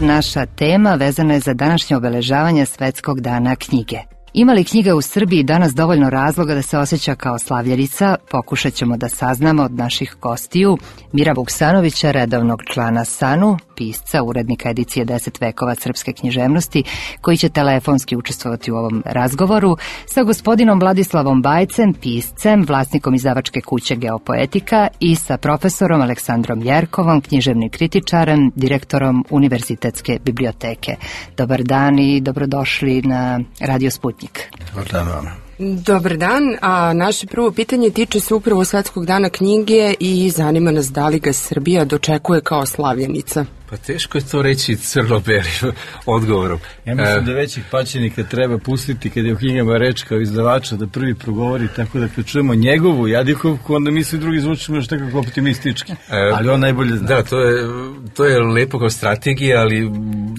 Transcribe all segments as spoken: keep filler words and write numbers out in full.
naša tema vezana je za današnje obeležavanje Svetskog dana knjige. Ima li knjiga u Srbiji danas dovoljno razloga da se osjeća kao slavljenica? Pokušat ćemo da saznamo od naših gostiju. Mira Vuksanovića, redovnog člana SANU, pisca, urednika edicije deset vekova srpske književnosti, koji će telefonski učestvovati u ovom razgovoru, sa gospodinom Vladislavom Bajcem, piscem, vlasnikom izdavačke kuće Geopoetika, i sa profesorom Aleksandrom Jerkovom, književnim kritičarem, direktorom Univerzitetske biblioteke. Dobar dan i dobrodošli na Radio Sputnjik. Dobar dan vam. Dobar dan, a naše prvo pitanje tiče se upravo Svetskog dana knjige i zanima nas da li ga Srbija dočekuje kao slavljenica. Pa teško je to reći crno-belim odgovorom. Ja mislim da većih pačenika treba pustiti kad je u knjigama reč kao izdavača da prvi progovori, tako da kad čujemo njegovu jadikovku, onda mi svi drugi zvučimo još nekako optimistički. E, ali on najbolje zna. Da, to je, to je lepo kao strategija, ali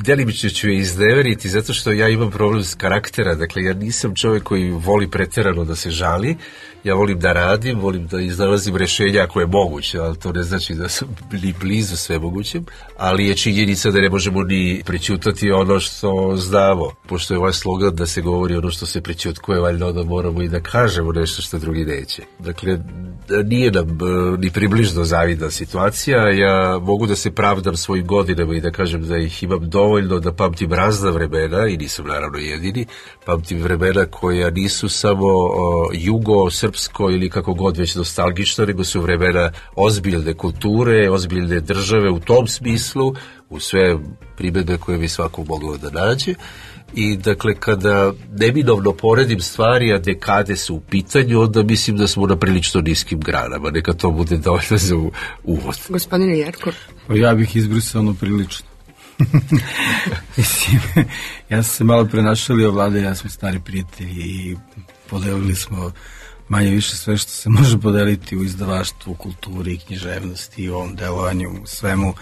delimično ću je izneveriti zato što ja imam problem s karaktera. Dakle, ja nisam čovjek koji voli preterano da se žali. Ja volim da radim, volim da iznalazim rešenja ako je moguće, ali to ne znači da sam ni blizu sve mogućem, ali je činjenica da ne možemo ni prećutati ono što znamo, pošto je ovaj slogan da se govori ono što se prećutkuje, valjda onda moramo i da kažemo nešto što drugi neće. Dakle, nije nam ni približno zavidna situacija, ja mogu da se pravdam svojim godinama i da kažem da ih imam dovoljno, da pamtim razna vremena, i nisam naravno jedini, pamtim vremena koja nisu samo o, jugo, srpsko ili kako god već nostalgično, nego su vremena ozbiljne kulture, ozbiljne države u tom smislu, u sve primedbe koje bi svako moglo da nađe. I dakle, kada neminovno poredim stvari, a dekade su u pitanju, onda mislim da smo na prilično niskim granama. Neka to bude dovoljno za uvod. Gospodine Jerko. Pa ja bih izbrisao ono prilično. Mislim, ja sam se malo prenašalio, Vlada i ja smo stari prijatelji i podelili smo manje više sve što se može podeliti u izdavaštvu, kulturi, književnosti i ovom delovanju, svemu.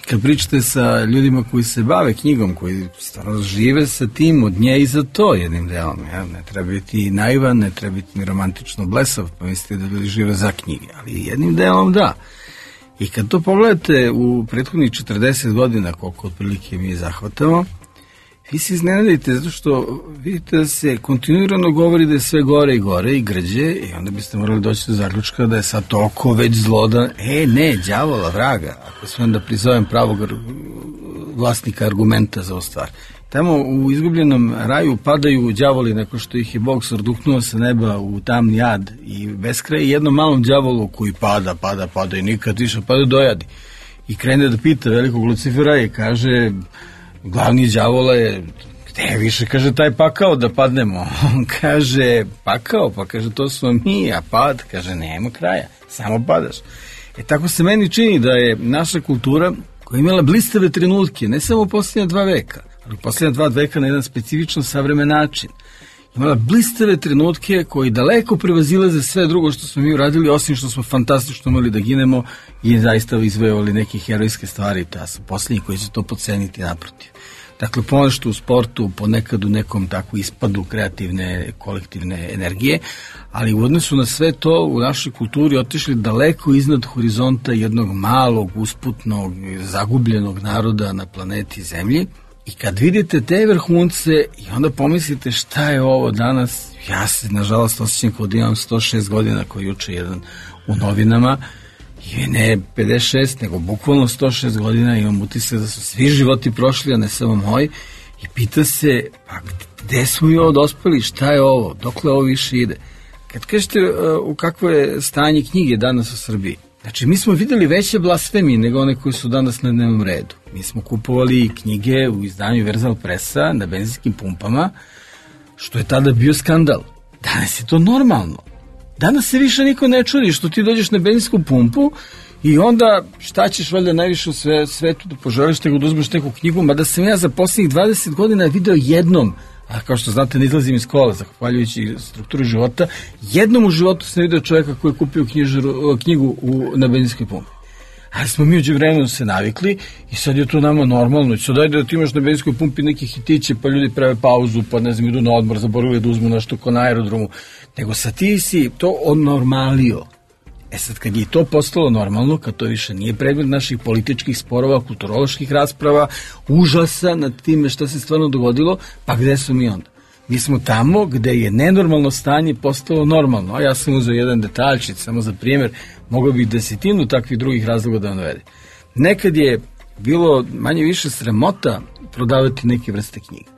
Kad pričate sa ljudima koji se bave knjigom, koji stvarno žive sa tim od nje i za to jednim delom, ja? Ne treba biti naivan, ne treba biti ni romantično blesav, pa mislite da ljudi žive za knjige, ali jednim delom da. I kad to pogledate u prethodnih četrdeset godina, koliko otprilike mi zahvatamo, vi se iznenadite zato što vidite da se kontinuirano govori da je sve gore i gore i grđe, i onda biste morali doći do zaključka da je sad toliko već zlodan. E, ne, đavola, vraga, ako smijem da prizovem pravog vlasnika argumenta za ovu stvar. Tamo u izgubljenom raju padaju đavoli neko što ih je Bog sorduhnuo sa neba u tamni jad i beskraj, i jednom malom đavolu koji pada, pada, pada i nikad više pada dojadi. I krene da pita velikog Lucifera i kaže, glavni đavola je, gde više, kaže, taj pakao da padnemo? On kaže, pakao? Pa kaže, to smo mi, a pad, kaže, nema kraja, samo padaš. E tako se meni čini da je naša kultura, koja je imala blistave trenutke, ne samo u posljednja dva veka, ali u posljednja dva veka na jedan specifično savremen način, imala blistave trenutke koji daleko prevazilaze sve drugo što smo mi uradili, osim što smo fantastično imali da ginemo i zaista izvojevali neke herojske stvari. Ja sam posljednji koji će to poceniti naprotiv. Dakle, ponešto u sportu, ponekad u nekom tako ispadu kreativne, kolektivne energije, ali u odnosu na sve to u našoj kulturi otišli daleko iznad horizonta jednog malog, usputnog, zagubljenog naroda na planeti Zemlji. I kad vidite te vrhunce i onda pomislite šta je ovo danas, ja se nažalost osjećam kao da imam sto šest godina, koji juče jedan u novinama, i ne pedeset šest, nego bukvalno sto šest godina, imam utisak da su svi životi prošli, a ne samo moj, i pita se, pa gde smo mi ovo dospeli, šta je ovo, dokle ovo više ide. Kad kažete uh, u kakvo je stanje knjige danas u Srbiji, znači, mi smo videli veće blasfemije nego one koje su danas na dnevnom redu. Mi smo kupovali knjige u izdanju Verzal Presa na benzinskim pumpama, što je tada bio skandal. Danas je to normalno. Danas se više niko ne čudi što ti dođeš na benzinsku pumpu i onda šta ćeš valjda najviše u sve, svetu da poželiš, nego da uzmeš neku knjigu, mada sam ja za posljednjih dvadeset godina video jednom, a kao što znate ne izlazim iz kola, zahvaljujući strukturi života, jednom u životu sam vidio čovjeka koji je kupio knjižaru, knjigu u, na benzinskoj pumpi. Ali smo mi uđe vremenu se navikli i sad je to nama normalno. I sad dajde da ti imaš na benzinskoj pumpi neke hitiće, pa ljudi prave pauzu, pa ne znam, idu na odmor, zaboravili da uzmu nešto ko na aerodromu. Nego sad ti si to odnormalio. E sad, kad je to postalo normalno, kad to više nije predmet naših političkih sporova, kulturoloških rasprava, užasa nad time što se stvarno dogodilo, pa gde smo mi onda? Mi smo tamo gde je nenormalno stanje postalo normalno. A ja sam uzeo jedan detaljčić, samo za primjer, mogao bih desetinu takvih drugih razloga da navede. Nekad je bilo manje više sramota prodavati neke vrste knjiga.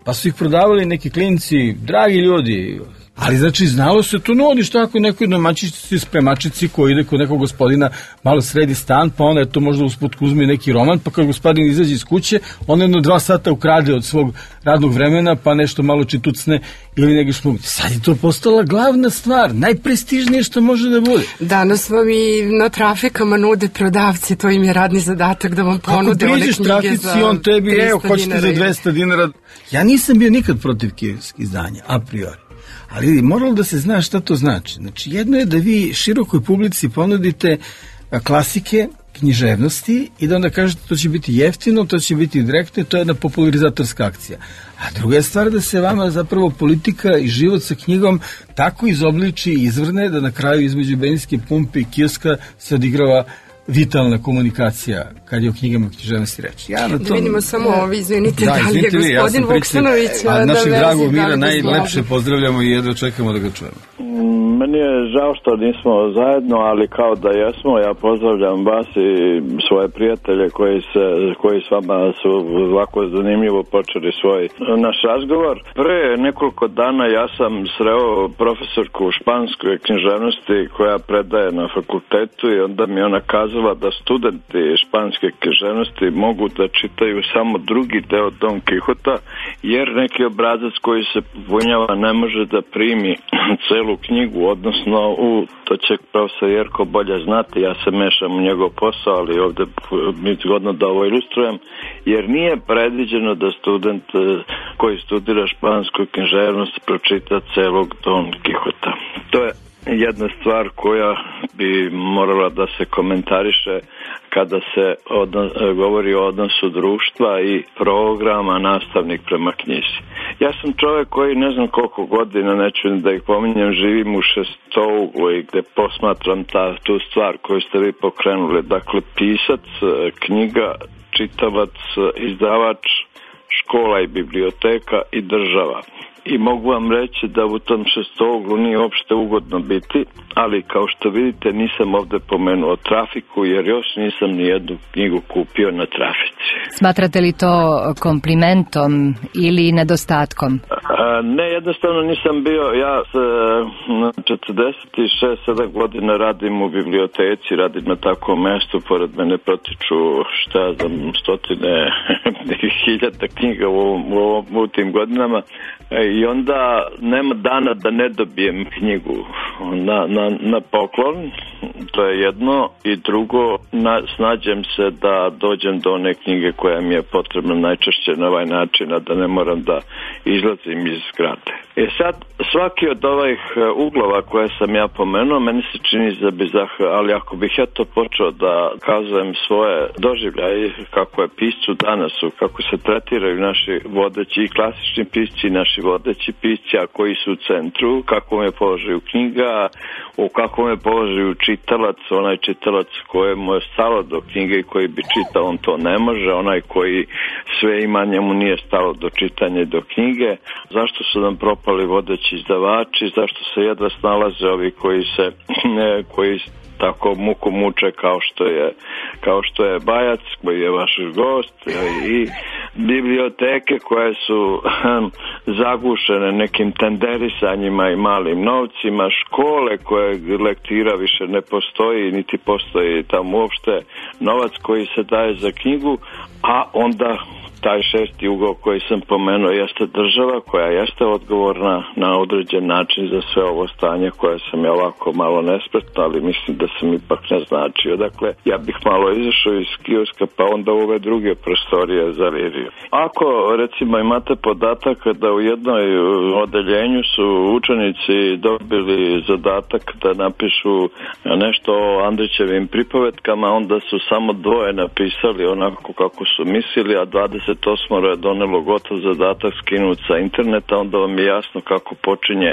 Pa su ih prodavali neki klinci, dragi ljudi, ali znači znalo se to, no odiš tako nekoj domaćici, spremačici koji ide kod nekog gospodina, malo sredi stan, pa onda je to možda usput uzme neki roman, pa kad gospodin izađe iz kuće, on jedno dva sata ukrade od svog radnog vremena, pa nešto malo čitucne ili neki šmug. Sad je to postala glavna stvar, najprestižnije što može da bude. Danas vam i na trafikama nude prodavci, to im je radni zadatak da vam ponude one knjige trafici, za on tebi, evo, hoćete za dvesta dinara. Ja nisam bio nikad protiv kijevskih izdanja, a priori. Ali moralo da se zna šta to znači. Znači, jedno je da vi širokoj publici ponudite klasike, književnosti i da onda kažete to će biti jeftino, to će biti direktno, to je jedna popularizatorska akcija. A druga je stvar da se vama zapravo politika i život sa knjigom tako izobliči i izvrne da na kraju između benzinske pumpe i kioska se odigrava vitalna komunikacija kad je o knjigama književnosti reći. Ja na tom, da vidimo samo ovi, izvinite, da, da li je vi, gospodin ja Vuksanović a da našeg vezi, dragog Mira da najlepše pozdravljamo i jedva čekamo da ga čujemo. Meni je žao što nismo zajedno, ali kao da jesmo, ja pozdravljam vas i svoje prijatelje koji, se, koji s vama su ovako zanimljivo počeli svoj naš razgovor. Pre nekoliko dana ja sam sreo profesorku španske književnosti koja predaje na fakultetu i onda mi ona kazala da studenti španske književnosti mogu da čitaju samo drugi deo Don Quixota, jer neki obrazac koji se popunjava ne može da primi celu knjigu, odnosno u, to će profesor Jerko bolje znati, ja se mešam u njegov posao, ali ovde mi zgodno da ovo ilustrujem, jer nije predviđeno da student koji studira špansku književnost pročita celog Don Quixota. To je jedna stvar koja bi morala da se komentariše kada se odnos, govori o odnosu društva i programa nastavnik prema knjizi. Ja sam čovjek koji ne znam koliko godina, neću da ih pominjem, živim u Šestouglu i gde posmatram ta, tu stvar koju ste vi pokrenuli. Dakle, pisac, knjiga, čitavac, izdavač, škola i biblioteka i država. I mogu vam reći da u tom Šestouglu nije uopšte ugodno biti, ali kao što vidite nisam ovde pomenuo trafiku jer još nisam ni jednu knjigu kupio na trafici. Smatrate li to komplimentom ili nedostatkom? A, ne, jednostavno nisam bio, ja s četrdeset šest sedam godina radim u biblioteci, radim na takvom mestu, pored mene protiču šta ja znam, stotine hiljada knjiga u, u, u tim godinama. I onda nema dana da ne dobijem knjigu na, na, na poklon, to je jedno, i drugo, na, snađem se da dođem do one knjige koja mi je potrebna najčešće na ovaj način, a da ne moram da izlazim iz zgrade. E sad, svaki od ovih uglova koje sam ja pomenuo, meni se čini za bizah, ali ako bih ja to počeo da kazujem svoje doživljaje, kako je piscu danas, kako se tretiraju naši vodeći i klasični pisci, naši vodeći pisci, a koji su u centru, kako me položaju knjiga, u kakvom je položaju čitalac, onaj čitalac kojemu je stalo do knjige i koji bi čitao, on to ne može, onaj koji sve ima, njemu nije stalo do čitanja i do knjige. Zašto su nam propali vodeći izdavači, zašto se jedva snalaze ovi koji se koji tako muku muče kao što je kao što je Bajac, koji je vaš gost, i biblioteke koje su zagušene nekim tenderisanjima i malim novcima, škole koje lektira više ne postoji, niti postoji tamo uopšte novac koji se daje za knjigu, a onda taj šesti ugao koji sam pomenuo jeste država koja jeste odgovorna na određen način za sve ovo stanje koje sam ja ovako malo nespretno, ali mislim da sam ipak naznačio. Dakle, ja bih malo izašao iz kioska pa onda u ove druge prostorije zalirio. Ako recimo imate podatak da u jednoj odeljenju su učenici dobili zadatak da napišu nešto o Andrićevim pripovetkama, onda su samo dvoje napisali onako kako su mislili, a dvadeset osam je donelo gotov zadatak skinuti sa interneta, onda vam je jasno kako počinje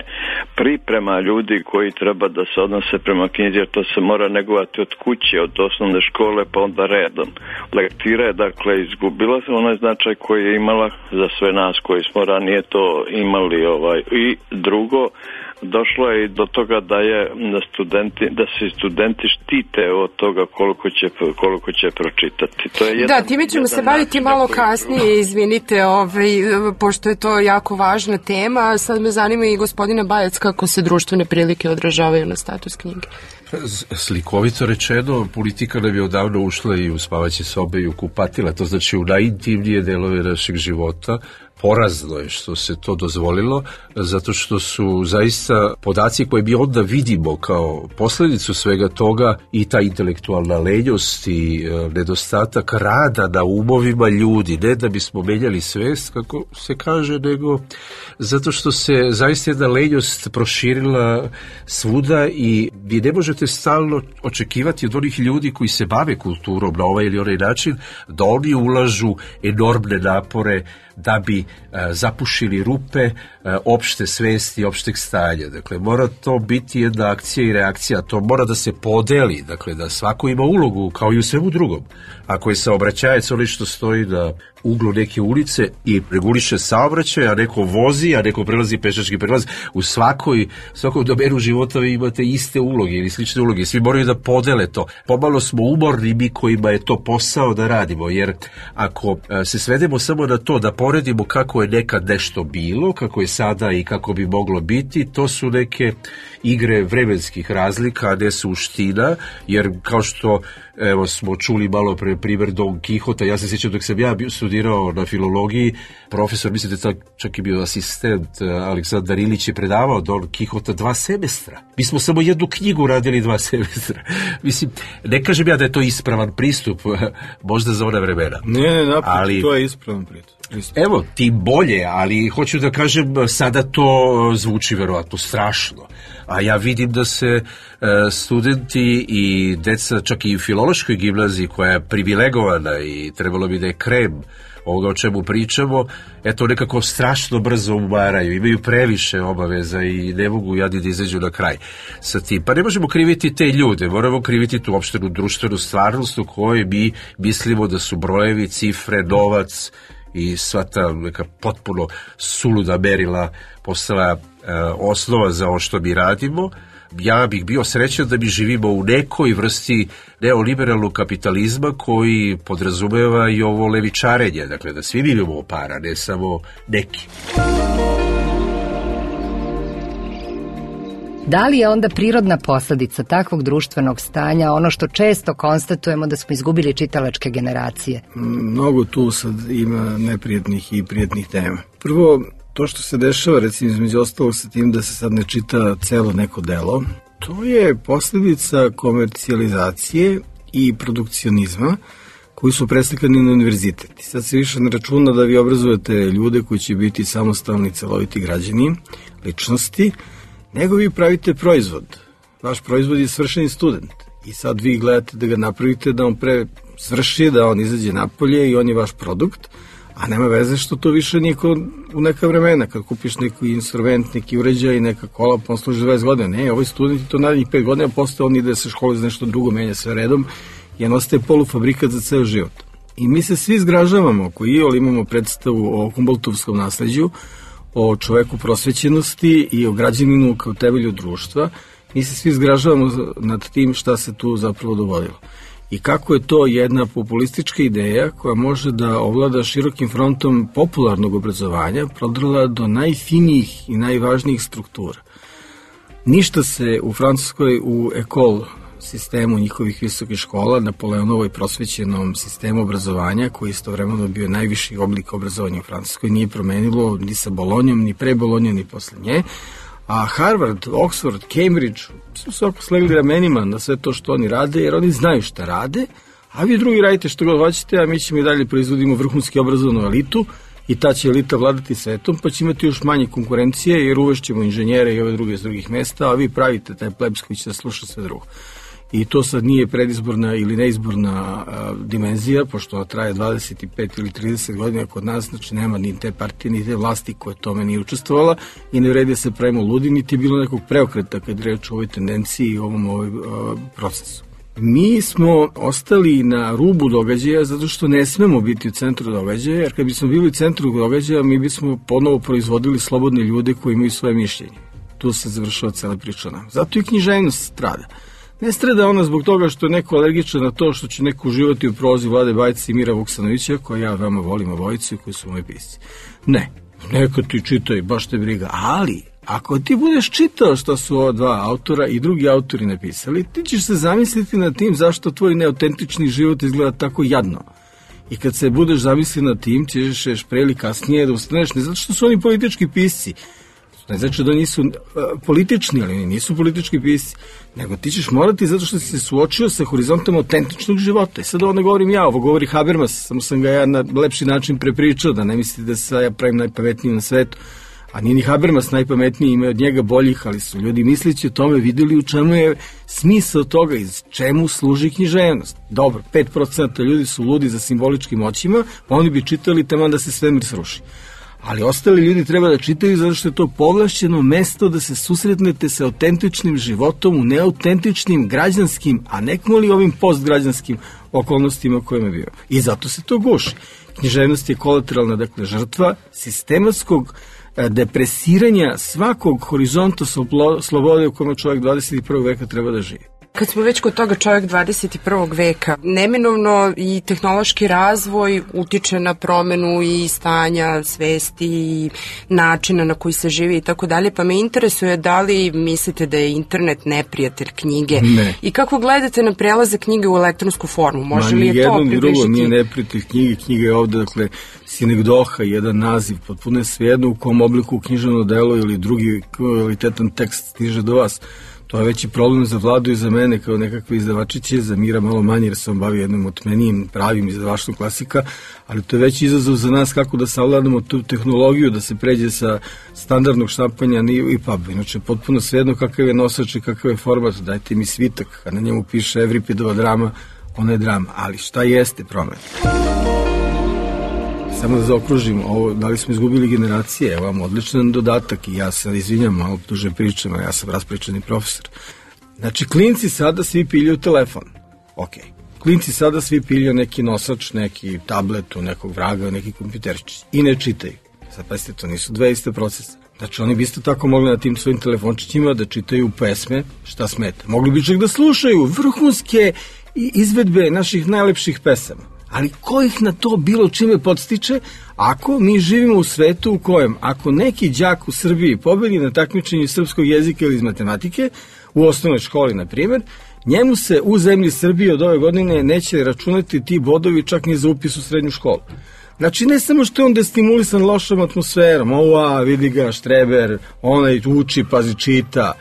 priprema ljudi koji treba da se odnose prema knjizi, jer to se mora negovati od kuće, od osnovne škole, pa onda redom. Lektira je, dakle, izgubila se onaj značaj koji je imala za sve nas koji smo ranije to imali. Ovaj. I drugo, došlo je i do toga da je studenti, da se studenti štite od toga koliko će, koliko će pročitati. To je jedan, da, time ćemo se baviti malo kasnije, izvinite, ovaj, pošto je to jako važna tema. Sad me zanima i gospodina Bajac kako se društvene prilike odražavaju na status knjige. Slikovito rečeno, politika nam je odavno ušla i u spavaće sobe i u kupatila, to znači u najintimnije delove našeg života. Porazno je što se to dozvolilo, zato što su zaista podaci koje mi onda vidimo kao posledicu svega toga i ta intelektualna lenjost i e, nedostatak rada na umovima ljudi, ne da bismo menjali svest, kako se kaže, nego zato što se zaista jedna lenjost proširila svuda i vi ne možete stalno očekivati od onih ljudi koji se bave kulturom na ovaj ili onaj način, da oni ulažu enormne napore da bi a, zapušili rupe a, opšte svesti, opšteg stanja. Dakle, mora to biti jedna akcija i reakcija, to mora da se podeli, dakle, da svako ima ulogu, kao i u svemu drugom. Ako je saobraćajac onaj što stoji na uglu neke ulice i reguliše saobraćaj, a neko vozi, a neko prelazi pešački prelaz, u svakoj, svakom domenu života vi imate iste uloge ili slične uloge, svi moraju da podele to. Pomalo smo umorni mi kojima je to posao da radimo, jer ako a, se svedemo samo na to da poredimo kako je nekad nešto bilo, kako je sada i kako bi moglo biti, to su neke igre vremenskih razlika, a ne suština, jer kao što evo smo čuli malo pre primjer Don Kihota, ja se sjećam dok sam ja bio studirao na filologiji, profesor, mislim da je čak i bio asistent, Aleksandar Ilić je predavao Don Kihota dva semestra. Mi smo samo jednu knjigu radili dva semestra. Mislim, ne kažem ja da je to ispravan pristup, možda za ona vremena. Ne, ne, napravo, ali to je ispravan pristup. Evo, tim bolje, ali hoću da kažem, sada to zvuči verovatno strašno. A ja vidim da se e, studenti i deca, čak i u filološkoj gimnaziji koja je privilegovana i trebalo bi da je krem ovoga o čemu pričamo, eto nekako strašno brzo umaraju, imaju previše obaveza i ne mogu jadi da izađu na kraj sa tim. Pa ne možemo kriviti te ljude, moramo kriviti tu opštenu društvenu stvarnost u kojoj mi mislimo da su brojevi, cifre, novac i sva ta neka potpuno suluda merila postala e, osnova za ovo što mi radimo. Ja bih bio srećan da mi živimo u nekoj vrsti neoliberalnog kapitalizma koji podrazumeva i ovo levičarenje, dakle da svi mi imamo para, ne samo neki. Da li je onda prirodna posledica takvog društvenog stanja ono što često konstatujemo da smo izgubili čitalačke generacije? Mnogo tu sad ima neprijetnih i prijetnih tema. Prvo, to što se dešava, recimo između ostalog sa tim da se sad ne čita celo neko delo, to je posljedica komercijalizacije i produkcionizma koji su preslikani na univerzitet. Sad se više ne računa da vi obrazujete ljude koji će biti samostalni, celoviti građani, ličnosti, nego vi pravite proizvod. Vaš proizvod je svršeni student i sad vi gledate da ga napravite, da on pre svrši, da on izađe napolje i on je vaš produkt, a nema veze što to više nije u neka vremena, kad kupiš neki instrument, neki uređaj, neka kola, pa on služi dvadeset godina. Ne, ovaj student je to narednih pet godina, posle on ide se škole za nešto drugo, menja sve redom i on ostaje polufabrikat za ceo život. I mi se svi zgražavamo, koji iole imamo predstavu o Humboldtovskom nasleđu, o čoveku prosvećenosti i o građaninu kao temelju društva, mi se svi zgražavamo nad tim šta se tu zapravo dogodilo. I kako je to jedna populistička ideja koja može da ovlada širokim frontom popularnog obrazovanja, prodrla do najfinijih i najvažnijih struktura. Ništa se u Francuskoj u ekol sistemu njihovih visokih škola, Napoleonovoj prosvećenom sistemu obrazovanja, koji istovremeno bio najviši oblik obrazovanja u Francuskoj, nije promenilo ni sa Bolonjom, ni pre Bolonje, ni posle nje. A Harvard, Oxford, Cambridge su se oko slegli ramenima na sve to što oni rade, jer oni znaju šta rade, a vi drugi radite što god hoćete, a mi ćemo i dalje proizvodimo vrhunski obrazovanu elitu i ta će elita vladati svetom, pa će imati još manje konkurencije, jer uvešćemo inženjere i ove druge iz drugih mesta, a vi pravite taj plebs koji će da sluša sve drugo. i to sad nije predizborna ili neizborna a, dimenzija, pošto ona traje dvadeset pet ili trideset godina kod nas, znači nema ni te partije, ni te vlasti koje tome nije učestvovala i ne vredi se pravimo ludi, niti je bilo nekog preokreta kad reč o ovoj tendenciji i ovom ovaj, a, procesu. Mi smo ostali na rubu događaja zato što ne smemo biti u centru događaja, jer kad bismo bili u centru događaja, mi bismo ponovo proizvodili slobodne ljude koji imaju svoje mišljenje. Tu se završava cela priča nam. Zato i književnost strada. Ne strada ona zbog toga što je neko alergičan na to što će neko uživati u prozi Vlade Bajca i Mira Vuksanovića, koja ja veoma volim obojicu i koji su moji pisci. Ne, neka ti čitaj, baš te briga, ali ako ti budeš čitao što su ova dva autora i drugi autori napisali, ti ćeš se zamisliti nad tim zašto tvoj neautentični život izgleda tako jadno. I kad se budeš zamisliti nad tim, ćeš pre ili kasnije da ustaneš, ne zato što su oni politički pisci, ne znači da nisu uh, politični, ali nisu politički pisci, nego ti ćeš morati zato što si se suočio sa horizontom autentičnog života. I sad ovo ne govorim ja, ovo govori Habermas, samo sam ga ja na lepši način prepričao, da ne mislite da se ja pravim najpametnijim na svetu. A nije ni Habermas najpametniji, ima od njega boljih, ali su ljudi misleći o tome videli u čemu je smisao toga i čemu služi književnost. Dobro, pet procenta ljudi su ludi za simboličkim moćima, pa oni bi čitali taman da se svemir sruši. Ali ostali ljudi treba da čitaju zato što je to povlašćeno mesto da se susretnete sa autentičnim životom u neautentičnim građanskim, a nekmoli ovim postgrađanskim okolnostima kojima je bio. I zato se to guši. Književnost je kolateralna, dakle, žrtva sistematskog depresiranja svakog horizonta slobode u kome čovjek dvadeset prvog veka treba da živi. Kad smo već kod toga čovjek dvadeset prvog veka, neminovno i tehnološki razvoj utiče na promenu i stanja svesti i načina na koji se živi i tako dalje, pa me interesuje da li mislite da je internet neprijatelj knjige ne. I kako gledate na prelaze knjige u elektronsku formu? Može Ma, li je to približiti? Jedno ni drugo nije neprijatelj knjige, knjiga je ovde, dakle, sinegdoha, jedan naziv, potpuno je svejedno u kom obliku književno delo ili drugi kvalitetan tekst stiže do vas. To je veći problem za Vladu i za mene kao nekakve izdavačiće, za Mira malo manje jer se on bavi jednom otmenijim pravim izdavaštvom klasika, ali to je veći izazov za nas kako da savladamo tu tehnologiju, da se pređe sa standardnog štampanja i pub. Inače, potpuno svejedno kakav je nosač i kakav je format, dajte mi svitak, a na njemu piše Evripidova drama, ona je drama, ali šta jeste promet? Samo da zaokružim, ovo, da li smo izgubili generacije, evo vam odličan dodatak i ja se izvinjam, malo duže pričam, ja sam raspričani profesor. Znači, klinci sada svi piljaju telefon. Ok. Klinci sada svi piljaju neki nosač, neki tablet, nekog vraga, neki kompjuterić i ne čitaju. Sad pazite, to nisu dve iste procesa. Znači, oni bi isto tako mogli na tim svojim telefončićima da čitaju pesme, šta smeta. Mogli bi čak da slušaju vrhunske izvedbe naših najlepših pesama. Ali ko ih na to bilo čime podstiče ako mi živimo u svetu u kojem ako neki đak u Srbiji pobedi na takmičenju srpskog jezika ili iz matematike, u osnovnoj školi na primjer, njemu se u zemlji Srbije od ove godine neće računati ti bodovi čak ni za upis u srednju školu. Znači ne samo što je on destimulisan lošom atmosferom, ova vidi ga štreber, onaj uči, pazi, čita.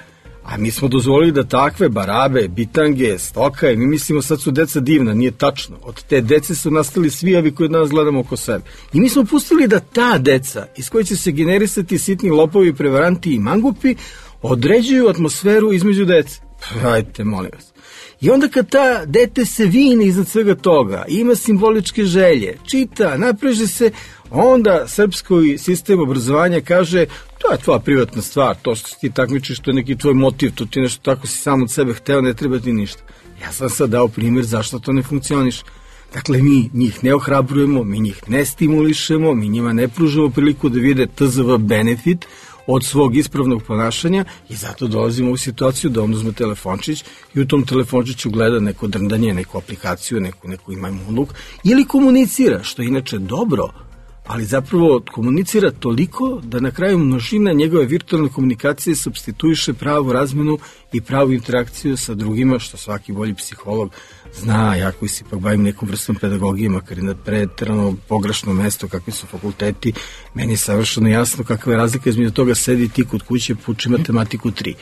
A mi smo dozvolili da takve barabe, bitange, stoka, i mi mislimo sad su deca divna, nije tačno. Od te dece su nastali svi ovi koji od nas gledamo oko sebe. I mi smo pustili da ta deca, iz koje će se generisati sitni lopovi, prevaranti i mangupi, određuju atmosferu između dece. Hajte, molim vas. I onda kad ta dete se vine iznad svega toga, ima simboličke želje, čita, napreže se, onda srpski sistem obrazovanja kaže to je tvoja privatna stvar, to što ti takmičiš, to je neki tvoj motiv, to ti nešto tako si sam od sebe hteo, ne treba ti ništa. Ja sam sad dao primjer zašto to ne funkcioniše. Dakle, mi njih ne ohrabrujemo, mi njih ne stimulišemo, mi njima ne pružamo priliku da vide T Z V benefit od svog ispravnog ponašanja i zato dolazimo u situaciju da on uzme telefončić i u tom telefončiću gleda neko drndanje, neku aplikaciju, neku, neku ima imunluk ili komunicira, što je inače dobro, ali zapravo komunicira toliko da na kraju množina njegove virtualne komunikacije supstituiše pravu razmenu i pravu interakciju sa drugima, što svaki bolji psiholog zna. Ja koji se ipak bavim nekom vrstom pedagogije, makar i na preterano pogrešno mesto, kakvi su fakulteti, meni je savršeno jasno kakva je razlika između toga sedi ti kod kuće, puči matematiku tri.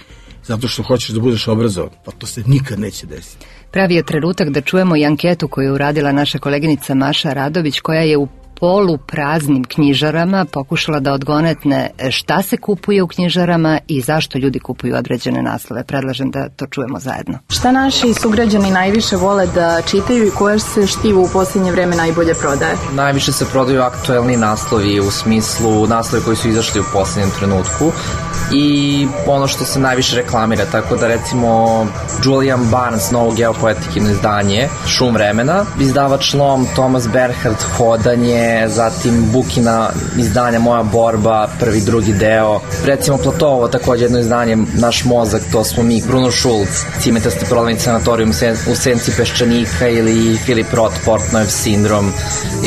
Zato što hoćeš da budeš obrazovan, pa to se nikad neće desiti. Pravi je trenutak da čujemo i anketu koju je uradila naša koleginica Maša Radović, koja je u polupraznim knjižarama pokušala da odgonetne šta se kupuje u knjižarama i zašto ljudi kupuju određene naslove. Predlažem da to čujemo zajedno. Šta naši sugrađani najviše vole da čitaju i koje se štivo u posljednje vreme najbolje prodaje? Najviše se prodaju aktuelni naslovi, u smislu naslovi koji su izašli u posljednjem trenutku i ono što se najviše reklamira, tako da recimo Julian Barnes, novo geopoetikino izdanje, Šum vremena, izdavač Lom, Thomas Bernhard, Hodanje, zatim Bukina izdanja Moja borba, prvi, drugi deo, recimo Platovo, takođe jedno izdanje Naš mozak, to smo mi, Bruno Schulz, Cimetasti prodavni sanatorijum u senci peščanika ili Filip Roth, Portnojev sindrom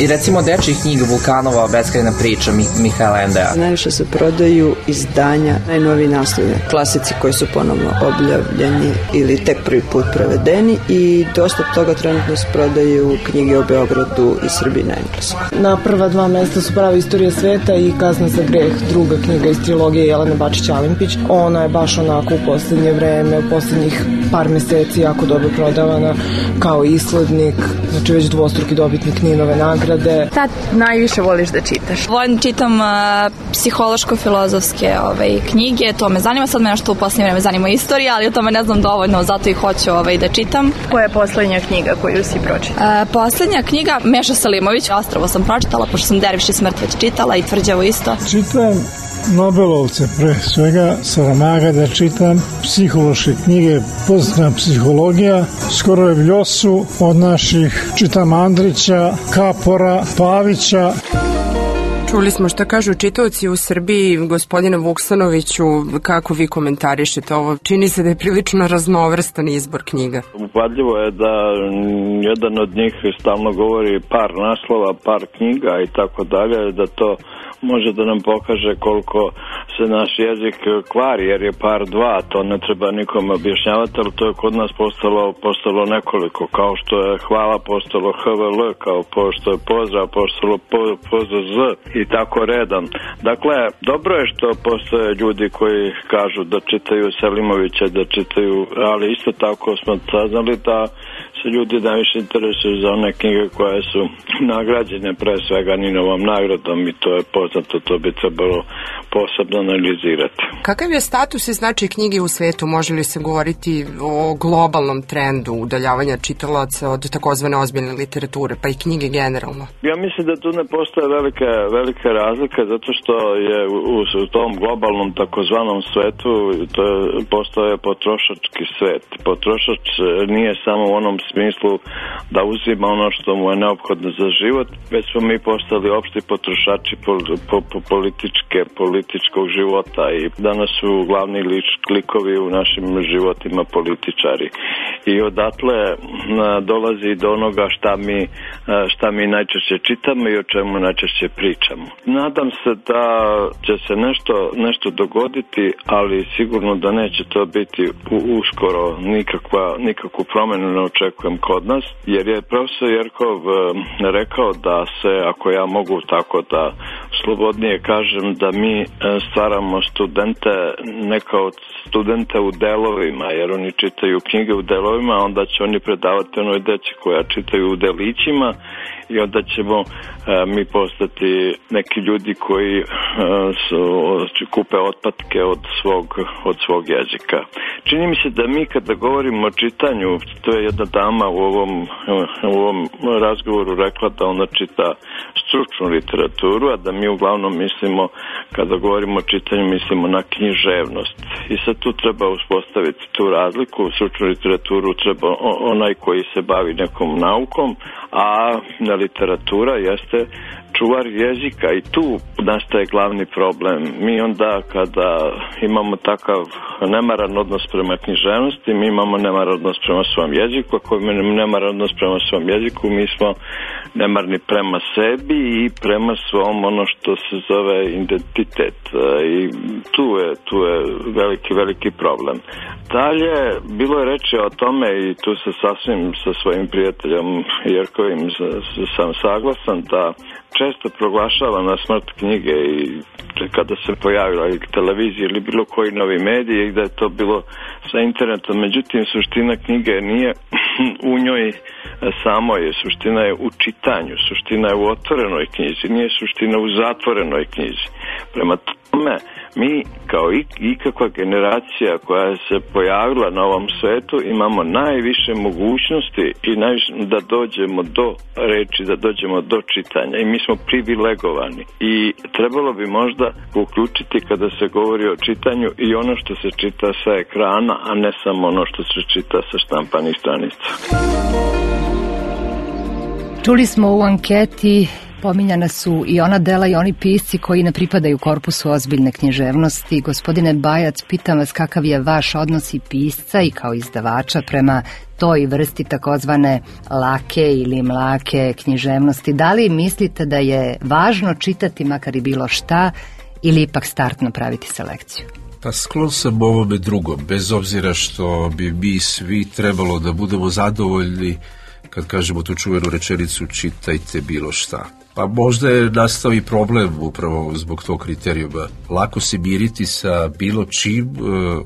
i recimo dečjih knjiga Vulkanova, Beskrajna priča Mihajla Endeja. Najviše se prodaju izdanja, najnoviji naslovi, klasici koji su ponovno objavljeni ili tek prvi put prevedeni i dosta toga trenutno se prodaju knjige o Beogradu i Srbiji na engleskom. Na prva dva mesta su Prava istorija sveta i Kazna za greh, druga knjiga iz trilogije Jelene Bačić-Alimpić. Ona je baš onako u poslednje vreme, u poslednjih par meseci jako dobro prodavana kao islednik, znači već dvostruki dobitnik Ninove nagrade. Šta najviše voliš da čitaš? Volim čitam uh, psihološko-filozofske ovaj, knjige, to me zanima, sad me nešto u poslednje vreme zanima istorija, ali o tome ne znam dovoljno, zato i hoću ovaj, da čitam. Koja je poslednja knjiga koju si pročitala? Uh, poslednja knjiga Meša Selimović, Ostrvo sam pročitala, pošto sam Derviš i smrt već čitala i Tvrđavo isto. Čitam Nobelovce pre svega, Saramaga da čitam, psihološke knjige, pozitivna psihologija, skoro je Vljosu od naših, čitam Andrića, Kapora, Pavića. Čuli smo šta kažu čitaoci u Srbiji. Gospodine Vuksanoviću, kako vi komentarišete ovo? Čini se da je prilično raznovrstan izbor knjiga. Upadljivo je da jedan od njih stalno govori par naslova, par knjiga i tako dalje, da to može da nam pokaže koliko se naš jezik kvari, jer je par dva, to ne treba nikom objašnjavati, ali to je kod nas postalo, postalo nekoliko, kao što je hvala postalo H V L, kao što je pozdrav postalo po, pozdrav Z i tako redom. Dakle, dobro je što postoje ljudi koji kažu da čitaju Selimovića, da čitaju, ali isto tako smo saznali da se ljudi najviše interesuju za one knjige koje su nagrađene pre svega Ninovom nagradom i to je poznato, to bi trebalo posebno analizirati. Kakav je status i značaj knjige u svetu? Može li se govoriti o globalnom trendu udaljavanja čitalaca od takozvane ozbiljne literature, pa i knjige generalno? Ja mislim da tu ne postoje velike, velike razlike, zato što je u, u tom globalnom takozvanom svetu to je, postoje potrošački svet. Potrošač nije samo u onom smislu da uzima ono što mu je neophodno za život, već smo mi postali opšti potrošači po, po, po političke, političkog života i danas su glavni lič, klikovi u našim životima političari. I odatle a, dolazi do onoga šta mi, a, šta mi najčešće čitamo i o čemu najčešće pričamo. Nadam se da će se nešto, nešto dogoditi, ali sigurno da neće to biti u, uskoro nikakva, nikakvu promenu ne očekujem kod nas, jer je profesor Jerkov a, rekao da se, ako ja mogu tako da slobodnije kažem, da mi stvaramo studente, neka od studente u delovima, jer oni čitaju knjige u delovima, onda će oni predavati onoj deci koja čitaju u delićima i onda ćemo e, mi postati neki ljudi koji e, su, kupe otpatke od svog, od svog jezika. Čini mi se da mi kada govorimo o čitanju, to je jedna dama u ovom, u ovom razgovoru rekla da ona čita stručnu literaturu, a da mi uglavnom mislimo, kada govorimo o čitanju, mislimo na književnost. I sad tu treba uspostaviti tu razliku. U stručnu literaturu treba onaj koji se bavi nekom naukom, a na literatura jeste čuvar jezika i tu nastaje glavni problem. Mi onda kada imamo takav nemaran odnos prema književnosti, mi imamo nemaran odnos prema svom jeziku, ako imamo nemaran odnos prema svom jeziku, mi smo nemarni prema sebi i prema svom ono što se zove identitet. I tu je, tu je veliki, veliki problem. Dalje, bilo je reči o tome i tu se sasvim sa svojim prijateljem Jerkovim sam saglasan da često proglašava na smrt knjige i kada se pojavila i televizija ili bilo koji novi mediji i da je to bilo sa internetom. Međutim, suština knjige nije u njoj samoj, suština je u čitanju, suština je u otvorenoj knjizi, nije suština u zatvorenoj knjizi. Prema tome, mi kao ikakva generacija koja se pojavila na ovom svetu imamo najviše mogućnosti i najviše da dođemo do reči, da dođemo do čitanja i mi smo privilegovani i trebalo bi možda uključiti kada se govori o čitanju i ono što se čita sa ekrana, a ne samo ono što se čita sa štampanih stranica. Čuli smo u anketi, pominjana su i ona dela i oni pisci koji ne pripadaju korpusu ozbiljne književnosti. Gospodine Bajac, pitam vas kakav je vaš odnos i pisca i kao izdavača prema toj vrsti takozvane lake ili mlake književnosti. Da li mislite da je važno čitati makar i bilo šta ili ipak startno praviti selekciju? Pa sklon sam ovome drugom, bez obzira što bi mi svi trebalo da budemo zadovoljni kad kažemo tu čuvenu rečenicu čitajte bilo šta. Pa možda je nastao i problem upravo zbog tog kriterijuma. Lako se miriti sa bilo čim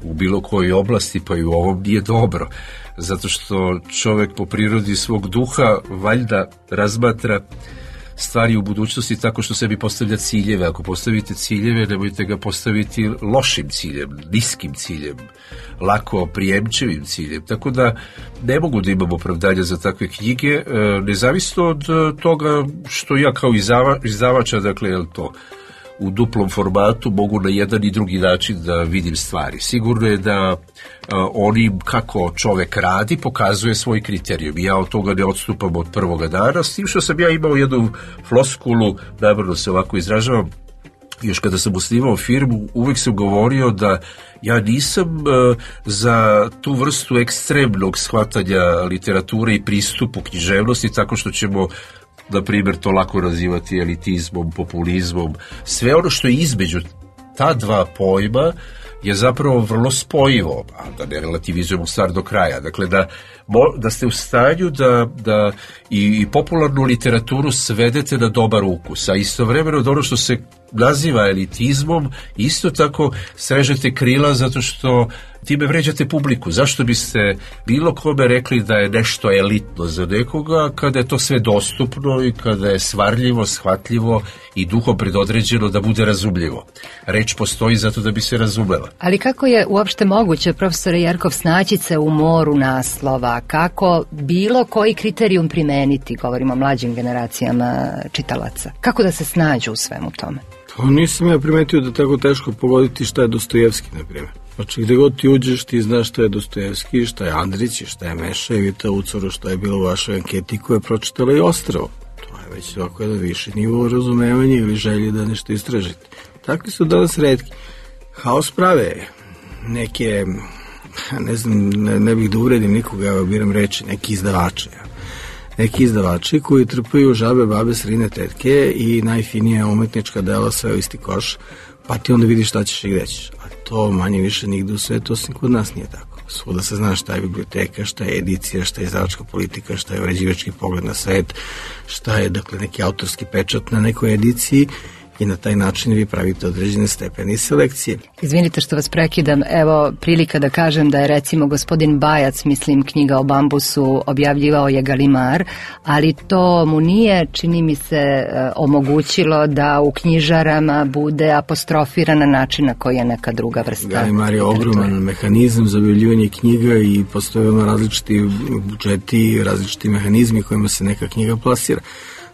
u bilo kojoj oblasti, pa i u ovom nije dobro. Zato što čovek po prirodi svog duha valjda razmatra stvari u budućnosti tako što sebi postavlja ciljeve. Ako postavite ciljeve, nemojte ga postaviti lošim ciljem, niskim ciljem, lako prijemčevim ciljem. Tako da ne mogu da imam opravdanja za takve knjige, nezavisno od toga što ja kao izdavača, dakle, je to u duplom formatu mogu na jedan i drugi način da vidim stvari. Sigurno je da oni kako čovek radi pokazuje svoj kriterijum. Ja od toga ne odstupam od prvoga dana, s tim što sam ja imao jednu floskulu, namerno se ovako izražavam, još kada sam osnivao firmu, uvek sam govorio da ja nisam uh, za tu vrstu ekstremnog shvatanja literature i pristupu književnosti tako što ćemo na primjer to lako nazivati elitizmom, populizmom. Sve ono što je između ta dva pojma je zapravo vrlo spojivo, a da ne relativizujemo stvar do kraja. Dakle, da, da ste u stanju da, da i, i popularnu literaturu svedete na dobar ukus, a istovremeno od ono što se naziva elitizmom, isto tako srežete krila zato što time vređate publiku. Zašto biste bilo kome rekli da je nešto elitno za nekoga kada je to sve dostupno i kada je svarljivo, shvatljivo i duhom predodređeno da bude razumljivo. Reč postoji zato da bi se razumela. Ali kako je uopšte moguće, profesore Jerkov, snaći se u moru naslova? Kako bilo koji kriterijum primeniti, govorimo o mlađim generacijama čitalaca? Kako da se snađu u svemu tome? Pa nisam ja primetio da tako teško pogoditi šta je Dostojevski, na primjer. Znači, gde god ti uđeš, ti znaš šta je Dostojevski, šta je Andrić, šta je Mešajev i ta ucoro što je bilo u vašoj anketi koja je pročitala i Ostrvo. To je već ovako jedan viši nivo razumevanja ili želje da nešto istražite. Takvi su danas retki. Haos prave neke, ne znam, ne, ne bih da uredim nikoga, evo biram reći, neki izdavače. Neki izdavači koji trpaju žabe, babe, srine, tetke i najfinije umetnička dela sve u isti koš, pa ti onda vidiš šta ćeš i gde ćeš. A to manje više nigde u svetu, osim kod nas nije tako. Svuda se zna šta je biblioteka, šta je edicija, šta je izdavačka politika, šta je uređivački pogled na svet, šta je, dakle, neki autorski pečat na nekoj ediciji i na taj način vi pravite određene stepeni selekcije. Izvinite što vas prekidam, evo prilika da kažem da je recimo gospodin Bajac, mislim knjiga o bambusu, objavljivao je Galimar, ali to mu nije, čini mi se, omogućilo da u knjižarama bude apostrofiran na način na koji je neka druga vrsta. Galimar je ogroman mehanizam za objavljivanje knjiga i postoje ono različiti budžeti, različiti mehanizmi kojima se neka knjiga plasira.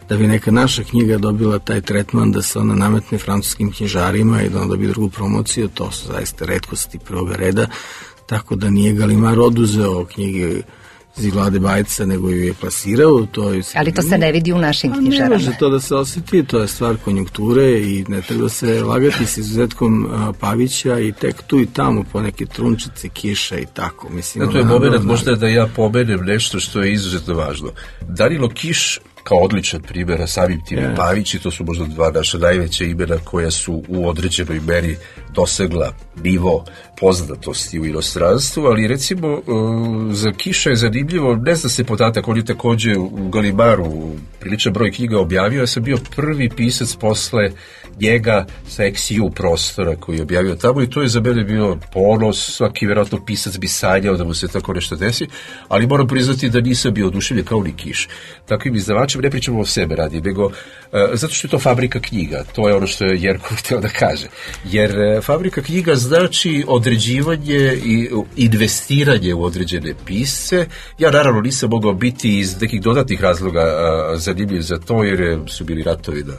Da bi neka naša knjiga dobila taj tretman da se ona nametne francuskim knjižarima i da ona dobije drugu promociju, to su zaista retkosti prvoga reda, tako da nije Galimar oduzeo knjige iz Vlade Bajca, nego ju je plasirao. To je ali to se ne vidi u našim knjižarama. Ne može to da se osjeti, to je stvar konjunkture i ne treba se lagati s izuzetkom a, Pavića i tek tu i tamo po neke trunčice, kiša i tako. Mislim, da, to je moment možda da ja pomenem nešto što je izuzetno važno. Danilo Kiš kao odličan primjer, a samim tim yeah. Pavić, i to su možda dva naša najveća imena koja su u određenoj meri dosegla nivo poznatosti u inostranstvu, ali recimo uh, za Kiša je zanimljivo, ne zna se podatak, on je takođe u Galimaru priličan broj knjiga objavio, ja sam bio prvi pisac posle njega sa X U prostora koji je objavio tamo i to je za mene bio ponos, svaki vjerojatno pisac bi sanjao da mu se tako nešto desi, ali moram priznati da nisam bio oduševljen kao ni Kiš. Takvim izdavačem ne pričamo o sebe radi, nego uh, zato što je to fabrika knjiga, to je ono što je Jerko htio da kaže. Jer uh, fabrika knjiga znači određivanje i investiranje u određene pisce. Ja naravno nisam mogao biti iz nekih dodatnih razloga uh, zanimljiv za to, jer su bili ratovi na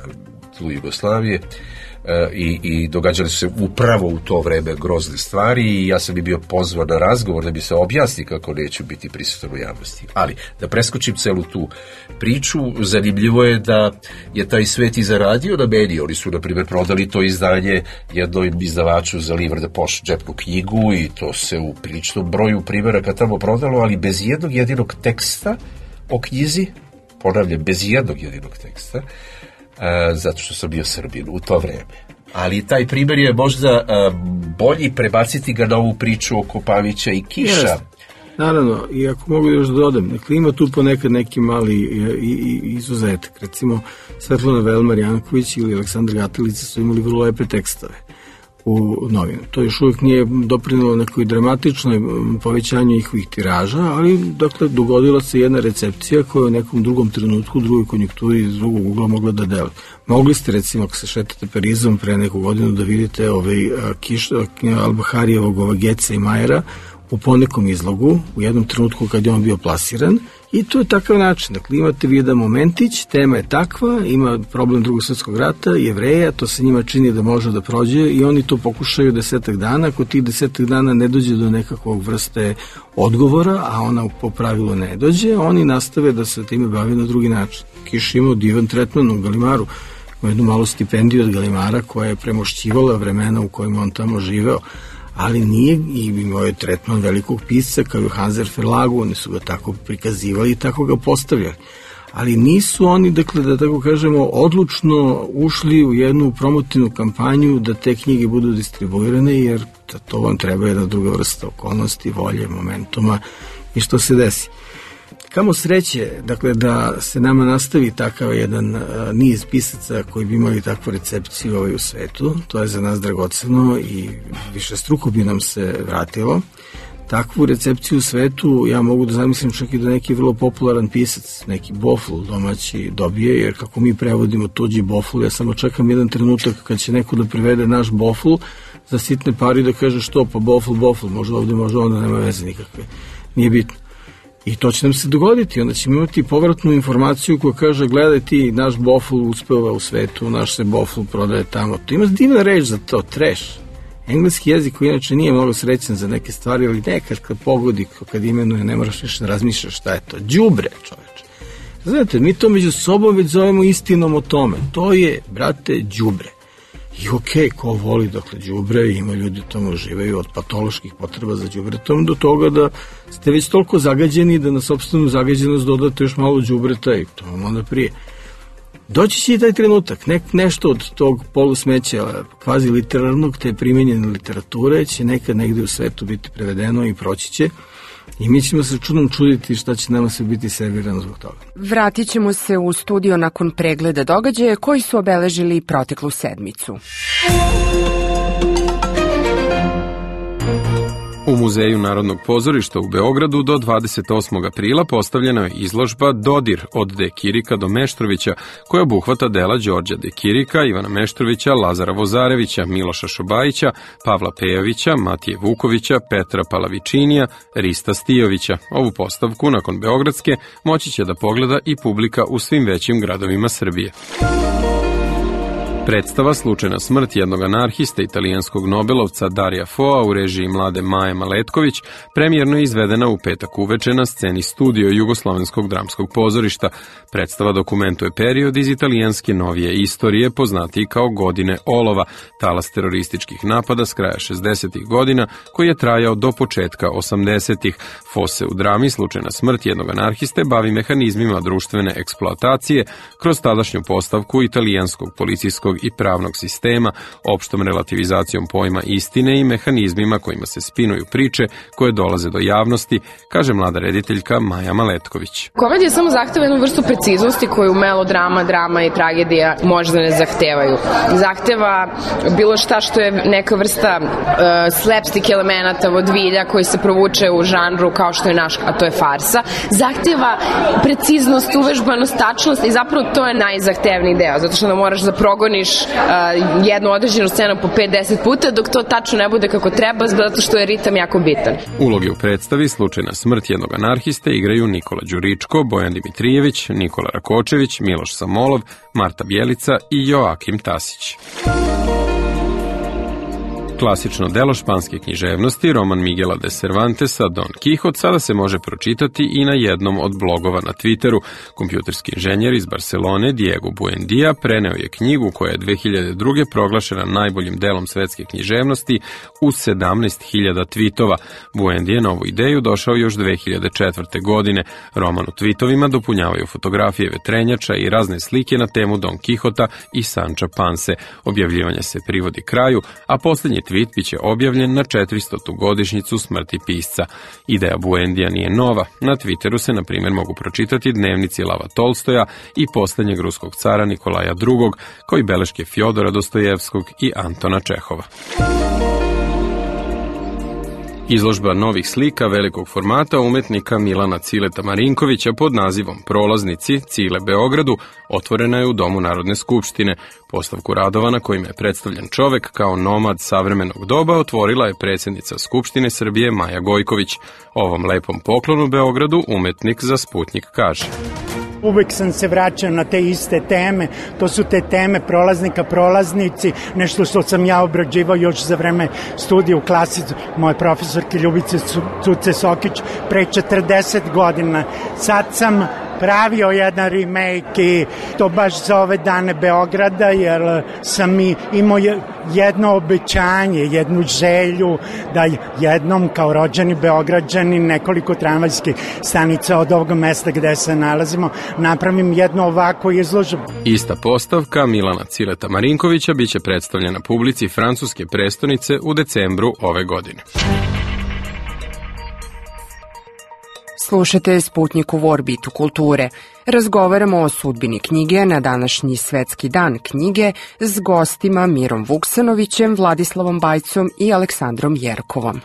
tlu Jugoslavije i, i događali su se upravo u to vreme grozne stvari i ja sam i bio pozvan na razgovor da bi se objasni kako neću biti prisutan u javnosti. Ali, da preskočim celu tu priču, zanimljivo je da je taj svet i zaradio na meni. Oni su, na primjer, prodali to izdanje jednom izdavaču za Livre de Poche džepnu knjigu i to se u priličnom broju primjeraka tamo prodalo, ali bez jednog jedinog teksta o knjizi, ponavljam, bez jednog jedinog teksta, a, zato što sam bio Srbin u to vreme. Ali taj primjer je možda a, bolji prebaciti ga na ovu priču oko Pavića i Kiša. Yes. Naravno, i ako mogu još da dodam, dakle ima tu ponekad neki mali i, i, izuzetak. Recimo, Svetlana Velmar Janković ili Aleksandar Gatilica su imali vrlo lepe tekstove u novinu. To još uvijek nije doprinelo nekoj dramatičnoj povećanju njihovih tiraža, ali dakle dogodila se jedna recepcija koja je u nekom drugom trenutku, u drugoj konjunkturi iz drugog ugla mogla da deluje. Mogli ste recimo ako se šetate Parizom pre neku godinu da vidite ovaj Kiš, Albaharijevog ova Geca i Majera u ponekom izlogu, u jednom trenutku kad je on bio plasiran, i to je takav način. Dakle, imate Vida Momentić, tema je takva, ima problem Drugog svjetskog rata, Jevreja, to se njima čini da može da prođe i oni to pokušaju desetak dana, ako tih desetak dana ne dođe do nekakvog vrste odgovora, a ona po pravilu ne dođe, oni nastave da se time bavi na drugi način. Kiš imao divan tretman u Galimaru, ima jednu malu stipendiju od Galimara koja je premošćivala vremena u kojima on tamo živeo, ali nije, i imao je tretman velikog pisca kao i Hanser Verlagu, oni su ga tako prikazivali i tako ga postavljali. Ali nisu oni, dakle, da tako kažemo, odlučno ušli u jednu promotivnu kampanju da te knjige budu distribuirane, jer to vam treba jedna druga vrsta okolnosti, volje, momentuma i što se desi. Kamo sreće, dakle, da se nama nastavi takav jedan uh, niz pisaca koji bi imali takvu recepciju ovaj u svetu, to je za nas dragoceno i više struko bi nam se vratilo. Takvu recepciju u svetu ja mogu da zamislim čak i da neki vrlo popularan pisac, neki bofl domaći dobije, jer kako mi prevodimo tuđi bofl, ja samo čekam jedan trenutak kad će neko da prevede naš bofl za sitne pari da kaže što, pa bofl, bofl, možda ovde, možda onda nema veze nikakve, nije bitno. I to će nam se dogoditi, onda ćemo imati povratnu informaciju koja kaže gledaj ti, naš bofl uspeva u svetu, naš se bofl prodaje tamo. To ima divna reč za to, trash. Engleski jezik koji inače nije mnogo srećan za neke stvari, ali nekad kad pogodi, kad imenuje, ne moraš više razmišljati šta je to. Đubre, čoveče. Znate, mi to među sobom već zovemo istinom o tome. To je, brate, đubre. I okej, okay, ko voli, dakle, đubre, ima ljudi tamo uživaju od patoloških potreba za đubretom do toga da ste već toliko zagađeni da na sopstvenu zagađenost dodate još malo đubreta i to vam onda prije. Doći će i taj trenutak, nek, nešto od tog polusmeća kvazi literarnog, te primenjene literature će nekad negde u svetu biti prevedeno i proći će. I mi ćemo se čudom čuditi šta će nama sve biti servirano zbog toga. Vratit ćemo se u studio nakon pregleda događaja koji su obeležili proteklu sedmicu. U Muzeju Narodnog pozorišta u Beogradu do dvadeset osmog aprila postavljena je izložba Dodir od De Kirika do Meštrovića, koja obuhvata dela Đorđa De Kirika, Ivana Meštrovića, Lazara Vozarevića, Miloša Šobajića, Pavla Pejovića, Matije Vukovića, Petra Palavičinija, Rista Stijovića. Ovu postavku, nakon beogradske, moći će da pogleda i publika u svim većim gradovima Srbije. Predstava Slučajna smrt jednog anarhista italijanskog nobelovca Darija Foa u režiji mlade Maje Maletković premijerno je izvedena u petak uveče na sceni Studio Jugoslovenskog dramskog pozorišta. Predstava dokumentuje period iz italijanske novije istorije, poznatiji kao godine olova, talas terorističkih napada s kraja šezdesetih godina, koji je trajao do početka osamdesetih. Fo se u drami Slučajna smrt jednog anarhiste bavi mehanizmima društvene eksploatacije kroz tadašnju postavku italijanskog policijskog i pravnog sistema, opštom relativizacijom pojma istine i mehanizmima kojima se spinuju priče koje dolaze do javnosti, kaže mlada rediteljka Maja Maletković. Komedija samo zahteva jednu vrstu preciznosti koju melodrama, drama i tragedija možda ne zahtevaju. Zahteva bilo šta što je neka vrsta uh, slapstick elemenata, vodvilja koji se provuče u žanru kao što je naš, a to je farsa. Zahteva preciznost, uvežbanost, tačnost i zapravo to je najzahtevniji deo, zato što da moraš da progoniš uh, jednu određenu scenu po pet do deset puta dok to tačno ne bude kako treba, zato što je ritam jako bitan. Uloge u predstavi Slučajna smrt jednog anarhiste igraju Nikola Đuričko, Bojan Dimitrijević, Nikola Rakočević, Miloš Samolov, Marta Bjelica i Joakim Tasić. Klasično delo španske književnosti, roman Miguela de Cervantesa Don Quixote, sada se može pročitati i na jednom od blogova na Twitteru. Kompjuterski inženjer iz Barcelone Diego Buendia preneo je knjigu koja je dve hiljade druge. proglašena najboljim delom svetske književnosti uz sedamnaest hiljada tvitova. Buendia je na ovu ideju došao još dve hiljade četvrte. godine. Roman u tvitovima dopunjavaju fotografije vetrenjača i razne slike na temu Don Quixota i Sanča Panse. Objavljivanje se privodi kraju, a posljednji tweet biće objavljen na četiristotu godišnjicu smrti pisca. Ideja Buendija nije nova. Na Twitteru se, na primjer, mogu pročitati dnevnici Lava Tolstoja i posljednjeg ruskog cara Nikolaja drugog, kao i beleške Fjodora Dostojevskog i Antona Čehova. Izložba novih slika velikog formata umetnika Milana Cileta Marinkovića pod nazivom Prolaznici Cile Beogradu otvorena je u Domu Narodne skupštine. Postavku radova na kojima je predstavljen čovek kao nomad savremenog doba otvorila je predsjednica Skupštine Srbije Maja Gojković. Ovom lepom poklonu Beogradu umetnik za Sputnjik kaže: Uvek sam se vraćao na te iste teme, to su te teme prolaznika, prolaznici, nešto što sam ja obrađivao još za vreme studija u klasici moje profesorke Ljubice Cuce Sokić pre četrdeset godina. Sad sam pravio jedan remake i to baš za ove dane Beograda, jer sam i imao jedno obećanje, jednu želju da jednom kao rođeni Beograđani nekoliko tramvajskih stanica od ovog mesta gde se nalazimo napravim jednu ovakvu izložbu. Ista postavka Milana Cileta Marinkovića biće predstavljena publici francuske prestonice u decembru ove godine. Slušate Sputnjik u Orbitu kulture. Razgovaramo o sudbini knjige na današnji Svetski dan knjige s gostima Mirom Vuksanovićem, Vladislavom Bajcom i Aleksandrom Jerkovom.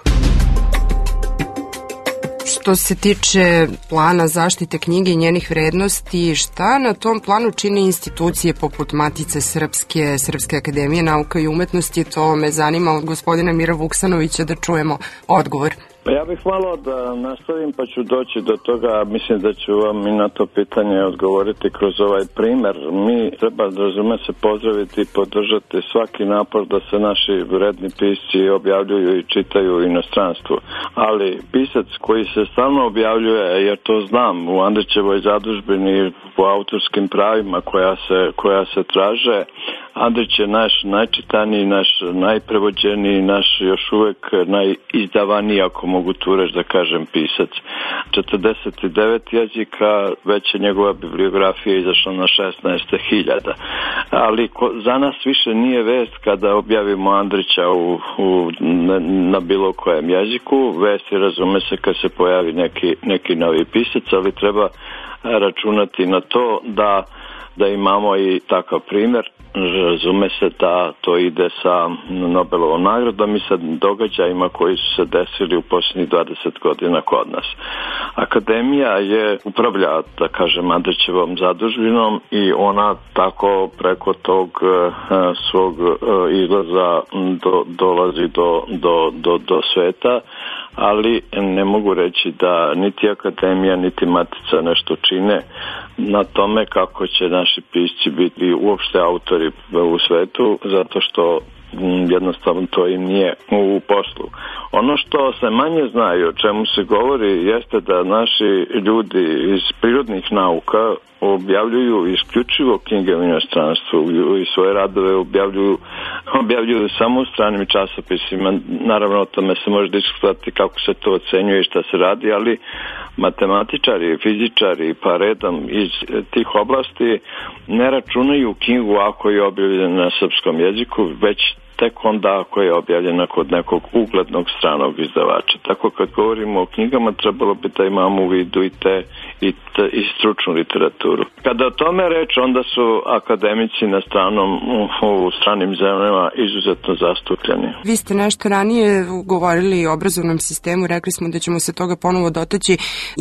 Što se tiče plana zaštite knjige i njenih vrednosti, šta na tom planu čine institucije poput Matice Srpske, Srpske akademije nauka i umetnosti? To me zanima od gospodina Mira Vuksanovića da čujemo odgovor. Ja bih malo da nastavim pa ću doći do toga, mislim da ću vam i na to pitanje odgovoriti kroz ovaj primer. Mi treba, razume se, pozdraviti i podržati svaki napor da se naši vredni pisci objavljuju i čitaju u inostranstvu. Ali pisac koji se stalno objavljuje, jer to znam, u Andrićevoj zadužbini po autorskim pravima koja se, koja se traže, Andrić je naš najčitaniji, naš najprevođeniji, naš još uvek najizdavaniji, ako mogu tu reći da kažem, pisac. četrdeset devet jezika, već je njegova bibliografija izašla na šesnaest hiljada. Ali ko, za nas više nije vest kada objavimo Andrića u, u, na, na bilo kojem jeziku. Vest je, razume se, kad se pojavi neki, neki novi pisac, ali treba računati na to da, da imamo i takav primjer. Razume se da to ide sa Nobelovom nagradom i sa događajima koji su se desili u posljednjih dvadeset godina kod nas. Akademija je upravlja, da kažem, Andrićevom zadužbinom i ona tako preko tog uh, svog uh, izlaza do, dolazi do, do, do, do sveta, ali ne mogu reći da niti Akademija, niti Matica nešto čine na tome kako će naši pisci biti uopšte autori u svetu, zato što jednostavno to i nije u poslu. Ono što se manje znaju, o čemu se govori, jeste da naši ljudi iz prirodnih nauka objavljuju isključivo knjige u inostranstvu i svoje radove objavljuju, objavljuju samo u stranim časopisima. Naravno, o tome se može diskutovati kako se to ocenjuje i šta se radi, ali matematičari, fizičari pa redom iz tih oblasti ne računaju knjigu ako je objavljena na srpskom jeziku, već tek onda ako je objavljena kod nekog uglednog stranog izdavača. Tako kad govorimo o knjigama, trebalo bi da imamo u vidu i te i, te, i stručnu literaturu. Kada o tome reč, onda su akademici na stranom, u stranim zemljama izuzetno zastupljeni. Vi ste nešto ranije govorili o obrazovnom sistemu, rekli smo da ćemo se toga ponovo dotaći.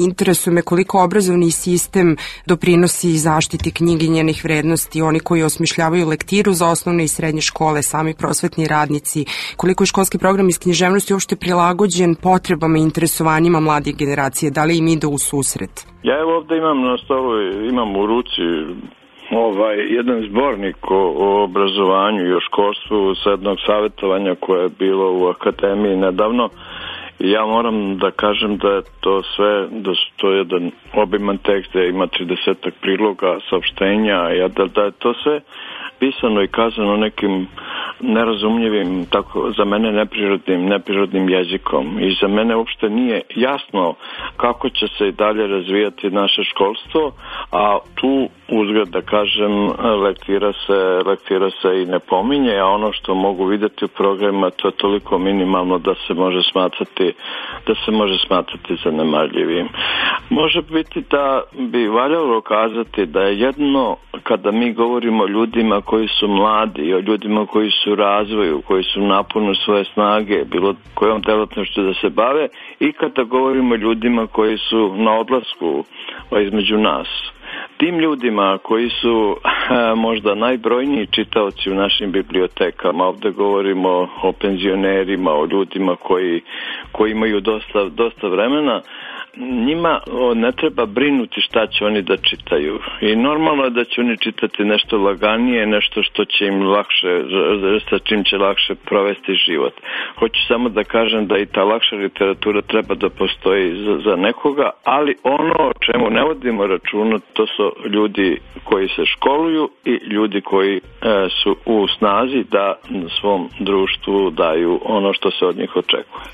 Interesuje me koliko obrazovni sistem doprinosi zaštiti knjige i njenih vrednosti, oni koji osmišljavaju lektiru za osnovne i srednje škole, sami prosvetni radnici, koliko je školski program iz književnosti uopšte prilagođen potrebama i interesovanjima mlade generacije, da li im ide u susret? Ja evo ovde imam na stolu, imam u ruci ovaj, jedan zbornik o, o obrazovanju i o školstvu sa jednog savjetovanja koje je bilo u akademiji nedavno. I ja moram da kažem da je to sve, da to je jedan obiman tekst, da ima tridesetak priloga, saopštenja, da, da je to sve pisano i kazano nekim nerazumljivim, tako za mene neprirodnim, neprirodnim jezikom. I za mene uopšte nije jasno kako će se i dalje razvijati naše školstvo, a tu uzgled da kažem lektira se, lektira se i ne pominje, a ono što mogu vidjeti u programima to je toliko minimalno da se može smatrati da se može smatrati zanemarljivim. Može biti da bi valjalo kazati da je jedno kada mi govorimo o ljudima koji su mladi, o ljudima koji su u razvoju, koji su napunu svoje snage, bilo kojom delatnošću da se bave, i kada govorimo o ljudima koji su na odlasku između nas. Tim ljudima koji su a, možda najbrojniji čitaoci u našim bibliotekama, ovdje govorimo o penzionerima, o ljudima koji, koji imaju dosta, dosta vremena, njima ne treba brinuti šta će oni da čitaju. I normalno je da će oni čitati nešto laganije, nešto što će im lakše, sa čim će lakše provesti život. Hoću samo da kažem da i ta lakša literatura treba da postoji za, za nekoga, ali ono o čemu ne vodimo računa, to su ljudi koji se školuju i ljudi koji e, su u snazi da svom društvu daju ono što se od njih očekuje.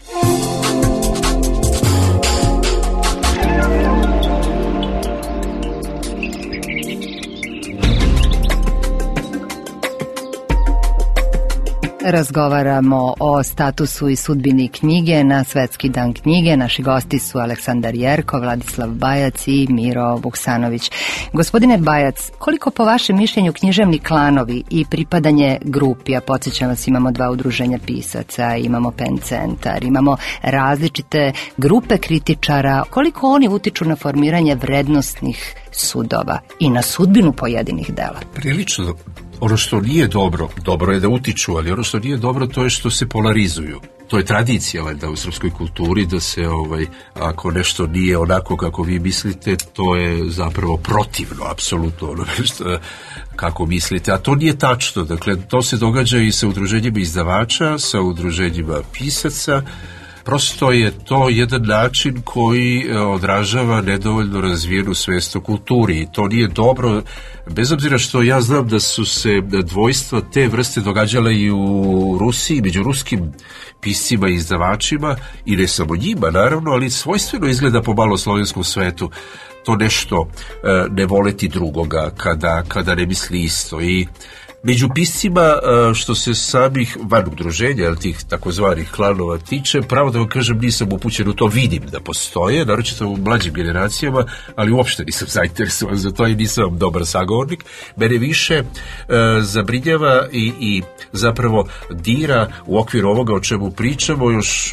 Razgovaramo o statusu i sudbini knjige na Svetski dan knjige. Naši gosti su Aleksandar Jerko, Vladislav Bajac i Miro Vuksanović. Gospodine Bajac, koliko po vašem mišljenju književni klanovi i pripadanje grupi, a podsjećam vas, imamo dva udruženja pisaca, imamo Pen centar, imamo različite grupe kritičara, koliko oni utiču na formiranje vrednostnih sudova i na sudbinu pojedinih dela? Prilično. Ono što nije dobro, dobro je da utiču, ali ono što nije dobro to je što se polarizuju. To je tradicija valjda u srpskoj kulturi da se ovaj ako nešto nije onako kako vi mislite, to je zapravo protivno apsolutno onome što kako mislite, a to nije tačno. Dakle, to se događa i sa udruženjima izdavača, sa udruženjima pisaca. Prosto je to jedan način koji odražava nedovoljno razvijenu svest o kulturi i to nije dobro, bez obzira što ja znam da su se dvojstva te vrste događale i u Rusiji, među ruskim piscima i izdavačima, i ne samo njima naravno, ali svojstveno izgleda po malo slovenskom svetu to nešto e, ne voleti drugoga kada, kada ne misli isto. I među piscima, što se samih van udruženja, ali tih takozvanih klanova tiče, pravo da vam kažem, nisam upućen u to, vidim da postoje, naročito u mlađim generacijama, ali uopšte nisam zainteresovan za to i nisam dobar sagovornik. Mene više e, zabrinjava i, i zapravo dira u okviru ovoga o čemu pričamo još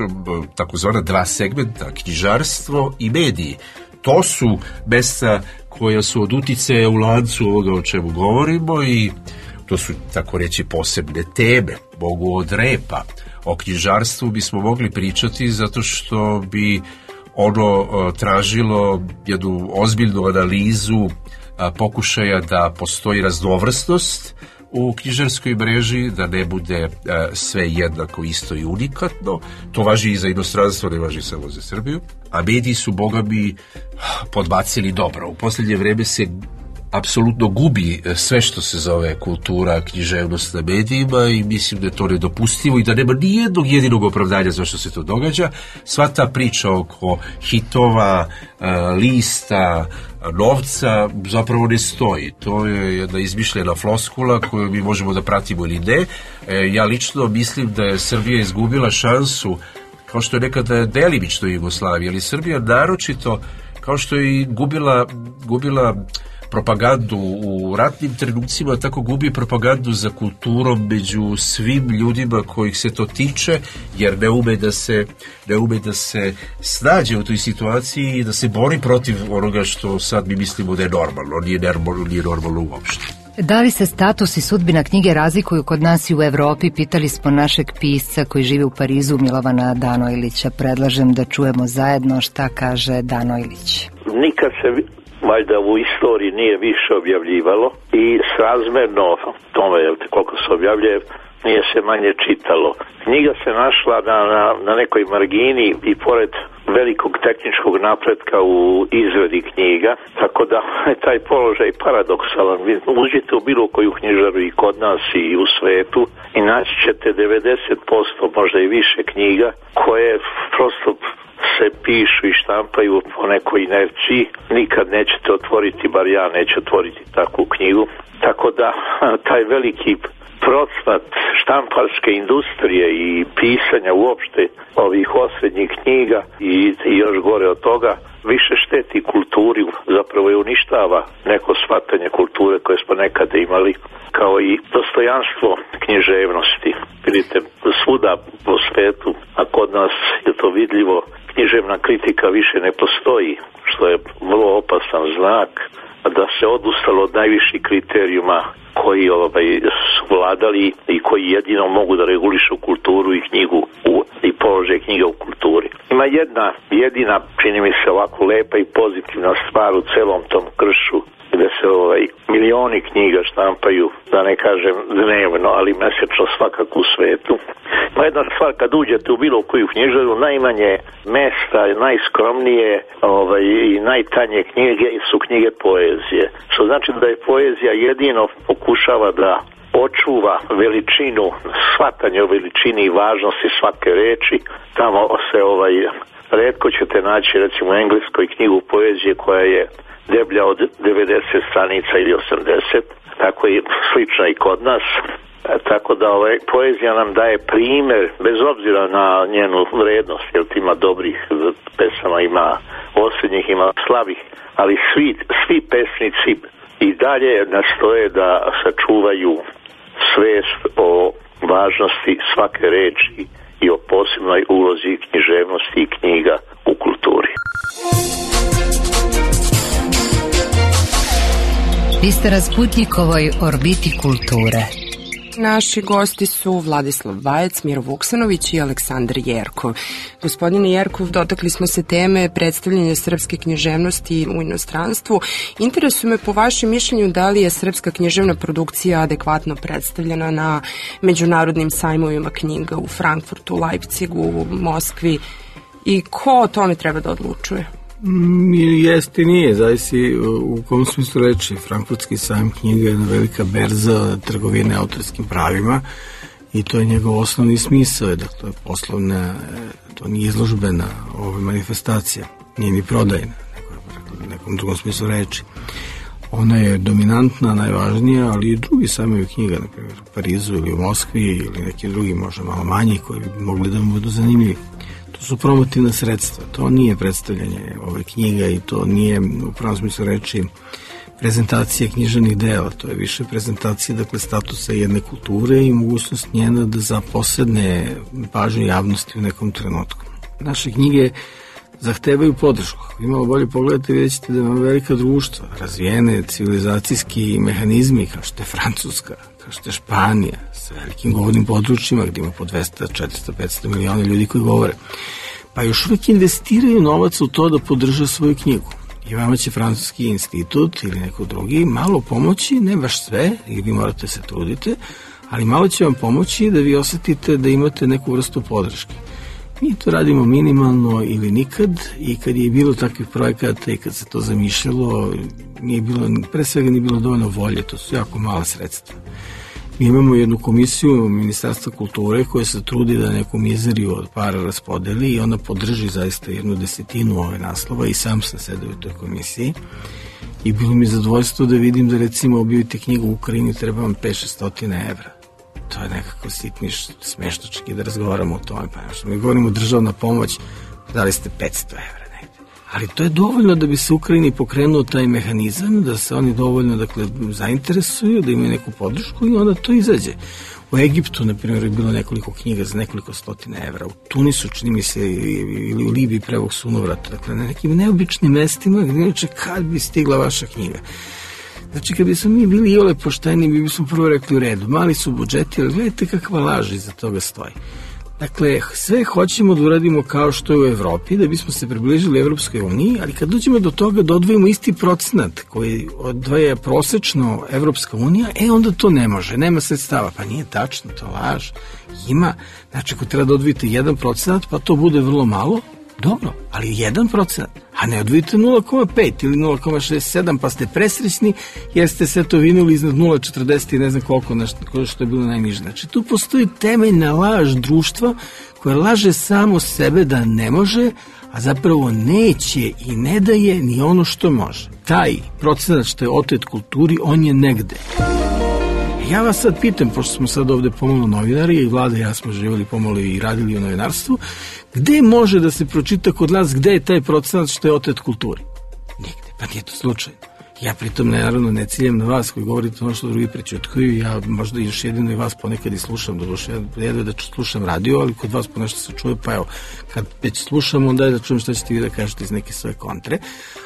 takozvana dva segmenta, knjižarstvo i mediji. To su mesta koja su od uticaja u lancu ovoga o čemu govorimo i to su, tako reći, posebne teme, mogu od repa. O knjižarstvu bismo mogli pričati zato što bi ono tražilo jednu ozbiljnu analizu pokušaja da postoji raznovrsnost u knjižarskoj mreži, da ne bude sve jednako isto i unikatno. To važi i za inostranstvo, ne važi samo za Srbiju. A mediji su, boga mi, podbacili dobro. U posljednje vreme se apsolutno gubi sve što se zove kultura, književnost na medijima i mislim da je to nedopustivo i da nema ni jednog jedinog opravdanja zašto se to događa. Sva ta priča oko hitova, lista, novca zapravo ne stoji. To je jedna izmišljena floskula koju mi možemo da pratimo ili ne. Ja lično mislim da je Srbija izgubila šansu, kao što je nekada delimično Jugoslavija, ali Srbija naročito, kao što je i gubila, gubila propagandu u ratnim trenucima, tako gubi propagandu za kulturom među svim ljudima kojih se to tiče, jer ne ume da se, ne ume da se snađe u toj situaciji i da se bori protiv onoga što sad mi mislimo da je normalno, nije normalno, nije normalno uopšte. Da li se status i sudbina knjige razlikuju kod nas i u Evropi, pitali smo našeg pisca koji živi u Parizu, Milovana Danojlića. Predlažem da čujemo zajedno šta kaže Danojlić. Nikad se valjda u istoriji nije više objavljivalo i srazmerno tome koliko se objavljuje nije se manje čitalo. Knjiga se našla na, na, na nekoj margini i pored velikog tehničkog napretka u izradi knjiga, tako da je taj položaj paradoksalan. Vi uđete u bilo koju knjižaru i kod nas i u svetu i naći ćete devedeset posto, možda i više knjiga koje prosto se pišu i štampaju po nekoj inerciji. Nikad nećete otvoriti, bar ja neću otvoriti takvu knjigu. Tako da taj veliki procvat štamparske industrije i pisanja uopšte ovih osrednjih knjiga i, i još gore od toga više šteti kulturi, zapravo je uništava neko shvatanje kulture koje smo nekada imali, kao i dostojanstvo književnosti. Vidite, svuda po svetu, a kod nas je to vidljivo, književna kritika više ne postoji, što je vrlo opasan znak da se odustalo od najviših kriterijuma koji ovaj, su vladali i koji jedino mogu da regulišu kulturu i knjigu u, i položaj knjiga u kulturi. Ima jedna jedina, čini mi se ovako lepa i pozitivna stvar u celom tom kršu, gde se ovaj, milioni knjiga štampaju, da ne kažem dnevno, ali mesečno svakako u svetu. Ma jedna stvar, kad uđete u bilo koju knjižaru, najmanje mesta, najskromnije ovaj, i najtanje knjige su knjige poezije. Što znači da je poezija jedino pokušava da očuva veličinu, shvatanje o veličini i važnosti svake reči. Tamo se ovaj, retko ćete naći recimo u engleskoj knjigu poezije koja je deblja od devedeset stranica ili osamdeset, tako je slično i kod nas. Tako da ovaj, poezija nam daje primer, bez obzira na njenu vrednost, jer ima dobrih pesama, ima osrednjih, ima slabih, ali svi, svi pesnici i dalje nastoje da sačuvaju svest o važnosti svake reči i o posebnoj ulozi književnosti i knjiga u kulturi. Vi ste na Sputnjikovoj orbiti kulture. Naši gosti su Vladislav Vajec, Miro Vuksanović i Aleksandar Jerkov. Gospodine Jerkov, dotakli smo se teme predstavljanja srpske književnosti u inostranstvu. Interesuje me po vašem mišljenju da li je srpska književna produkcija adekvatno predstavljena na međunarodnim sajmovima knjiga u Frankfurtu, Leipzigu, Moskvi i ko o tome treba da odlučuje? Jeste i nije, zavisi u kom smislu reči. Frankfurtski sajam knjiga je jedna velika berza trgovine autorskim pravima i to je njegov osnovni smisao, dakle poslovna, to nije izložbena ova manifestacija, nije ni prodajna, u nekom drugom smislu reči. Ona je dominantna, najvažnija, ali i drugi sajmovi knjiga, na primjer u Parizu ili u Moskvi ili neki drugi, možda malo manji, koji bi mogli da mu budu zanimljivi. To su promotivna sredstva, to nije predstavljanje ove knjiga i to nije u pravom smislu reči prezentacija književnih dela, to je više prezentacija, dakle, statusa jedne kulture i mogućnost njena da zaposedne pažnju javnosti u nekom trenutku. Naše knjige zahtevaju podršku. Ako imalo bolje pogledate, vidjet ćete da imamo velika društva, razvijene civilizacijski mehanizmi, kao što je Francuska, kao što je Španija, sa velikim govornim područjima, gdje ima po dvesta, četiristo, petsto miliona ljudi koji govore. Pa još uvijek investiraju novac u to da podrža svoju knjigu. I vama će Francuski institut ili neko drugi malo pomoći, ne baš sve, i vi morate se trudite, ali malo će vam pomoći da vi osetite da imate neku vrstu podrške. Mi to radimo minimalno ili nikad i kad je bilo takvih projekata i kad se to zamišljalo, nije bilo, pre svega nije bilo dovoljno volje, to su jako mala sredstva. Mi imamo jednu komisiju Ministarstva kulture koja se trudi da neku mizeriju od para raspodeli i ona podrži zaista jednu desetinu ove naslova i sam sam sedeo u toj komisiji i bilo mi zadovoljstvo da vidim da recimo objavite knjigu u Ukrajini treba vam pet do šest evra. To je nekako sitniš, smeštočki da razgovaramo o tome. Pa što mi govorimo državna pomoć, dali ste petsto evra negde. Ali to je dovoljno da bi se Ukrajini pokrenuo taj mehanizam, da se oni dovoljno dakle, zainteresuju, da imaju neku podršku i onda to izađe. U Egiptu, na primjer, je bilo nekoliko knjiga za nekoliko stotine evra. U Tunisu, čini mi se, ili u Libiji prevog sunovrata. Dakle, na nekim neobičnim mestima gdje neče kad bi stigla vaša knjiga. Znači, kad bismo mi bili iole pošteni, mi bismo prvo rekli u redu. Mali su budžeti, ali gledajte kakva laž iza toga stoji. Dakle, sve hoćemo da uradimo kao što je u Evropi, da bismo se približili Evropskoj uniji, ali kad dođemo do toga da odvojimo isti procenat koji odvaja prosečno Evropska unija, e onda to ne može, nema sredstava. Pa nije tačno, to laž. Ima. Znači, ako treba da odvojite jedan procenat, pa to bude vrlo malo, dobro, ali jedan procenat, a ne odvojite nula zarez pet ili nula zarez šezdeset sedam, pa ste presrećni jer ste sve to vinuli iznad nula zarez četrdeset i ne znam koliko, nešto što je bilo najniže. Znači, tu postoji temeljna laž društva koja laže samo sebe da ne može, a zapravo neće i ne daje ni ono što može. Taj procenat što je otet kulturi, on je negde. Ja vas sad pitam, pošto smo sad ovde pomalo novinari i Vlada i ja smo živjeli pomalo i radili u novinarstvu, gde može da se pročita kod nas gde je taj procenat što je otet kulturi? Nigde, pa nije to slučajno. Ja pritom naravno ne ciljam na vas koji govorite ono što drugi prećutkuju, ja možda još jedino i vas ponekad i slušam, doduše ja jedno da slušam radio, ali kod vas po nešto se čuje, pa evo, kad već slušam, onda je da čujem šta ćete vi da kažete iz neke svoje kontre,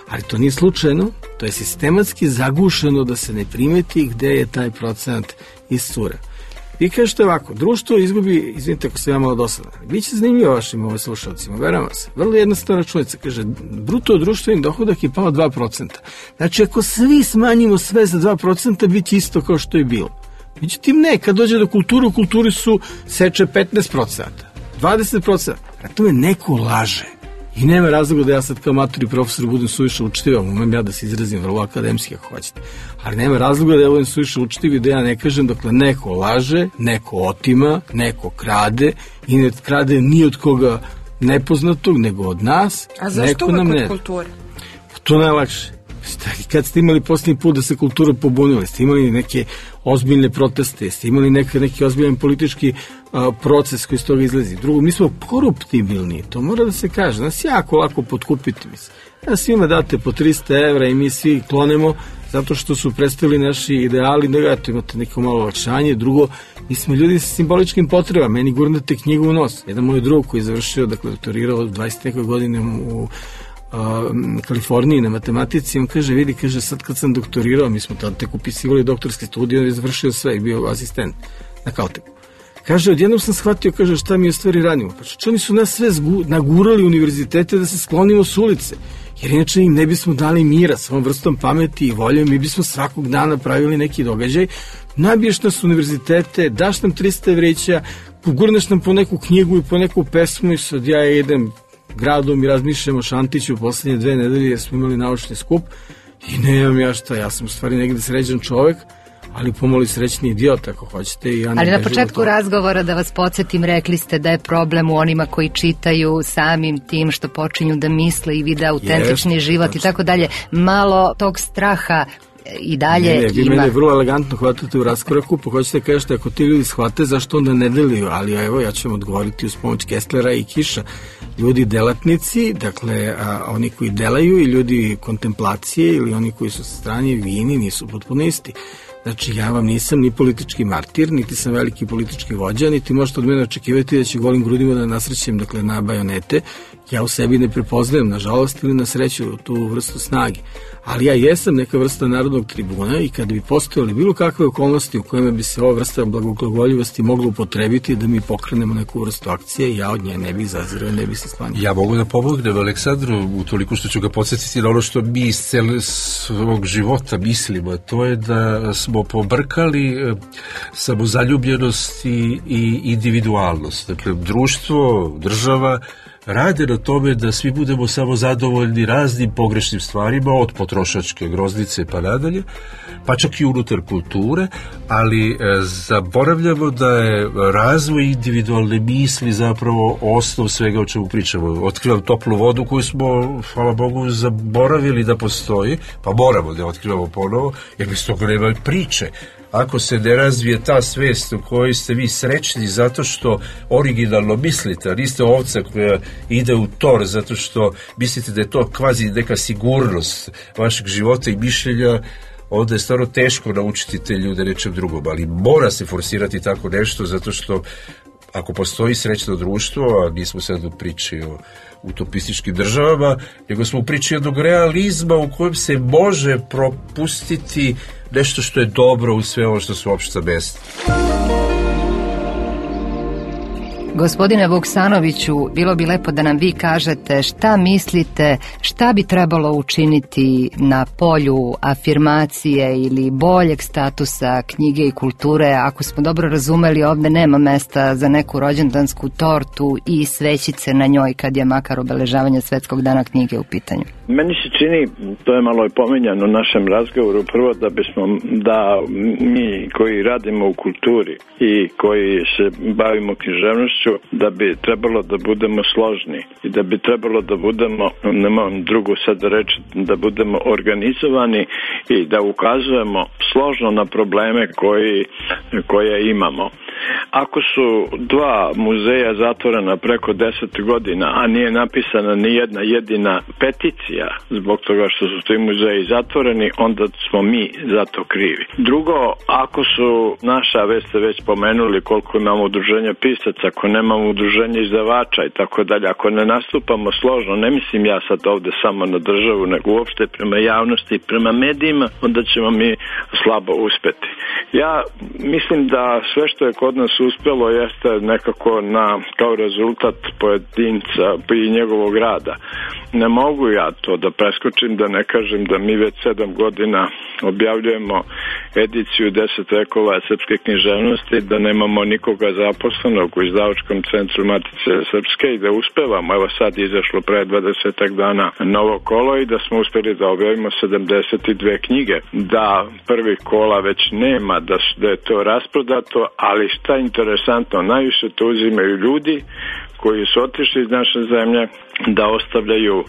ali to nije slučajno, to je sistematski zagušeno da se ne primeti gde je taj procenat iscura. Vi kažete ovako, društvo izgubi, izvinite ako sam ja malo dosadan, biće zanimljivo vašim ovim slušalcima, veramo se. Vrlo jednostavna računica, kaže, bruto društveni dohodak je pao dva procenta. Znači, ako svi smanjimo sve za dva procenta, bit će isto kao što je bilo. Međutim, ne, kad dođe do kulture, u kulturi su seče petnaest procenta, dvadeset procenta. Zato me neko laže. I nema razloga da ja sad kao matur i profesor budem suviše učtiv, umem ja da se izrazim vrlo akademski ako hoćete. Ali nema razloga da ja budem suviše učtiv i da ja ne kažem, dokle neko laže, neko otima, neko krade i ne krade ni od koga nepoznatog, nego od nas. A zašto uvek od kulture? To najlakše. Kad ste imali posljednji put da se kultura pobunila, ste imali neke ozbiljne proteste, ste imali neke, neki ozbiljan politički a, proces koji iz toga izlazi. Drugo, mi smo koruptibilni, to mora da se kaže, nas jako lako potkupiti. Nas svima date po trista evra i mi svi klonemo zato što su predstavili naši ideali, da to imate neko malo olakšanje. Drugo, mi smo ljudi sa simboličkim potrebama, meni gurnate knjigu u nos. Jedan moj drug koji je završio, dakle, doktorirao dvadeset neke godine u Kaliforniji na matematici, on kaže, vidi, kaže, sad kad sam doktorirao, mi smo tada tek upisivali doktorske studije, on je završio sve i bio asistent na Caltechu. Kaže, odjednom sam shvatio, kaže, šta mi u stvari radimo. Pa što oni su nas sve zgu, nagurali univerzitete da se sklonimo s ulice, jer inače im ne bismo dali mira s ovom vrstom pameti i volje, mi bismo svakog dana pravili neki događaj, nabiješ nas univerzitete, daš nam trista evrića, pogurneš nam po neku knjigu i po neku pesmu i sad ja idem gradom i razmišljamo o Šantiću u poslednje dve nedelje jer smo imali naučni skup i nemam ja šta, ja sam u stvari negde sređan čovek, ali pomoli srećni idiot ako hoćete. I ja ali na početku razgovora, da vas podsjetim, rekli ste da je problem u onima koji čitaju samim tim što počinju da misle i vide autentični yes, život i tako dalje. Malo tog straha i dalje ne, ne, vi ima. Mene vrlo elegantno hvatate u raskoraku, pa hoćete da kažete ako ti ljudi shvate zašto onda ne deliju, ali evo ja ću vam odgovoriti uz pomoć Kesslera i Kiša. Ljudi delatnici, dakle a, oni koji delaju i ljudi kontemplacije ili oni koji su sa strane vini nisu potpuno isti. Znači, ja vam nisam ni politički martir, niti sam veliki politički vođa, niti možete od mene očekivati da će golim grudima da nasrećem, dakle, na bajonete. Ja u sebi ne prepoznajem, nažalost ili na sreću, tu vrstu snage. Ali ja jesam neka vrsta narodnog tribuna i kada bi postojali bilo kakve okolnosti u kojima bi se ova vrsta blagoglagoljivosti mogla upotrebiti da mi pokrenemo neku vrstu akcije, ja od nje ne bih zazirao, ne bih se sklanio. Ja mogu da pomognem Aleksandru u toliko što ću ga podsjetiti na ono što mi iz celog svog života mislimo, to je da smo pobrkali samozaljubljenost i, i individualnost. Dakle, društvo, država rade na tome da svi budemo samo zadovoljni raznim pogrešnim stvarima, od potrošačke groznice pa nadalje, pa čak i unutar kulture, ali e, zaboravljamo da je razvoj individualne misli zapravo osnov svega o čemu pričamo. Otkrivam toplu vodu koju smo, hvala Bogu, zaboravili da postoji, pa moramo da je otkrivamo ponovo, jer bez toga nema priče. Ako se ne razvije ta svest u kojoj ste vi srećni zato što originalno mislite, a niste ovca koja ide u tor zato što mislite da je to kvazi neka sigurnost vašeg života i mišljenja, onda je stvarno teško naučiti te ljude nečem drugom, ali mora se forsirati tako nešto zato što ako postoji srećno društvo, a nismo sad u priči o utopističkim državama, nego smo u priči jednog realizma u kojem se može propustiti nešto što je dobro u sve ovo što su opšta mesta. Gospodine Vuksanoviću, bilo bi lepo da nam vi kažete šta mislite, šta bi trebalo učiniti na polju afirmacije ili boljeg statusa knjige i kulture. Ako smo dobro razumeli, ovde nema mesta za neku rođendansku tortu i svećice na njoj kad je makar obeležavanje Svetskog dana knjige u pitanju. Meni se čini, to je malo i pomenjano u našem razgovoru, prvo da bismo, da mi koji radimo u kulturi i koji se bavimo književnošću, da bi trebalo da budemo složni i da bi trebalo da budemo, nemam drugu sad da reći, da budemo organizovani i da ukazujemo složno na probleme koji, koje imamo. Ako su dva muzeja zatvorena preko deset godina, a nije napisana ni jedna jedina peticija zbog toga što su ti muzeji zatvoreni, onda smo mi za to krivi. Drugo, ako su naša, već ste već pomenuli koliko imamo udruženja pisaca, ako nemamo udruženja izdavača i tako dalje, ako ne nastupamo složno, ne mislim ja sad ovde samo na državu, nego uopšte prema javnosti i prema medijima, onda ćemo mi slabo uspeti. Ja mislim da sve što je kod nas uspelo jeste nekako na, kao rezultat pojedinca i njegovog rada. Ne mogu ja to da preskočim, da ne kažem da mi već sedam godina objavljujemo ediciju deset vekova srpske književnosti, da nemamo nikoga zaposlenog u izdavačkom centru Matice Srpske i da uspevamo. Evo sad je izašlo pre dvadesetak dana novo kolo i da smo uspeli da objavimo sedamdeset dve knjige. Da prvih kola već nema, da, da je to rasprodato, ali šta je interesantno, najviše to uzimaju ljudi koji su otišli iz naše zemlje da ostavljaju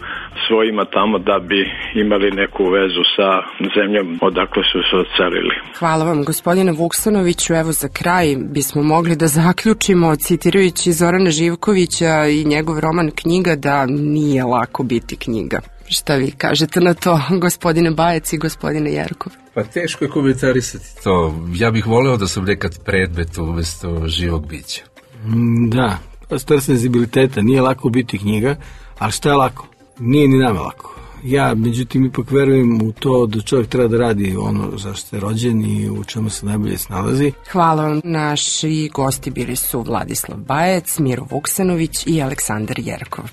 svojima tamo da bi imali neku vezu sa zemljom odakle su se odselili. Hvala vam, gospodine Vuksanoviću. Evo za kraj bismo mogli da zaključimo citirajući Zorana Živkovića i njegov roman Knjiga da nije lako biti knjiga. Šta vi kažete na to, gospodine Bajec i gospodine Jerkov? Pa teško je komentarisati to. Ja bih voleo da sam nekad predmet umesto živog bića. Da, stvar senzibiliteta, nije lako biti knjiga, ali šta je lako? Nije ni nama lako. Ja, međutim, ipak verujem u to da čovjek treba da radi ono za što je rođen i u čemu se najbolje snalazi. Hvala vam. Naši gosti bili su Vladislav Bajec, Miro Vuksanović i Aleksandar Jerkov.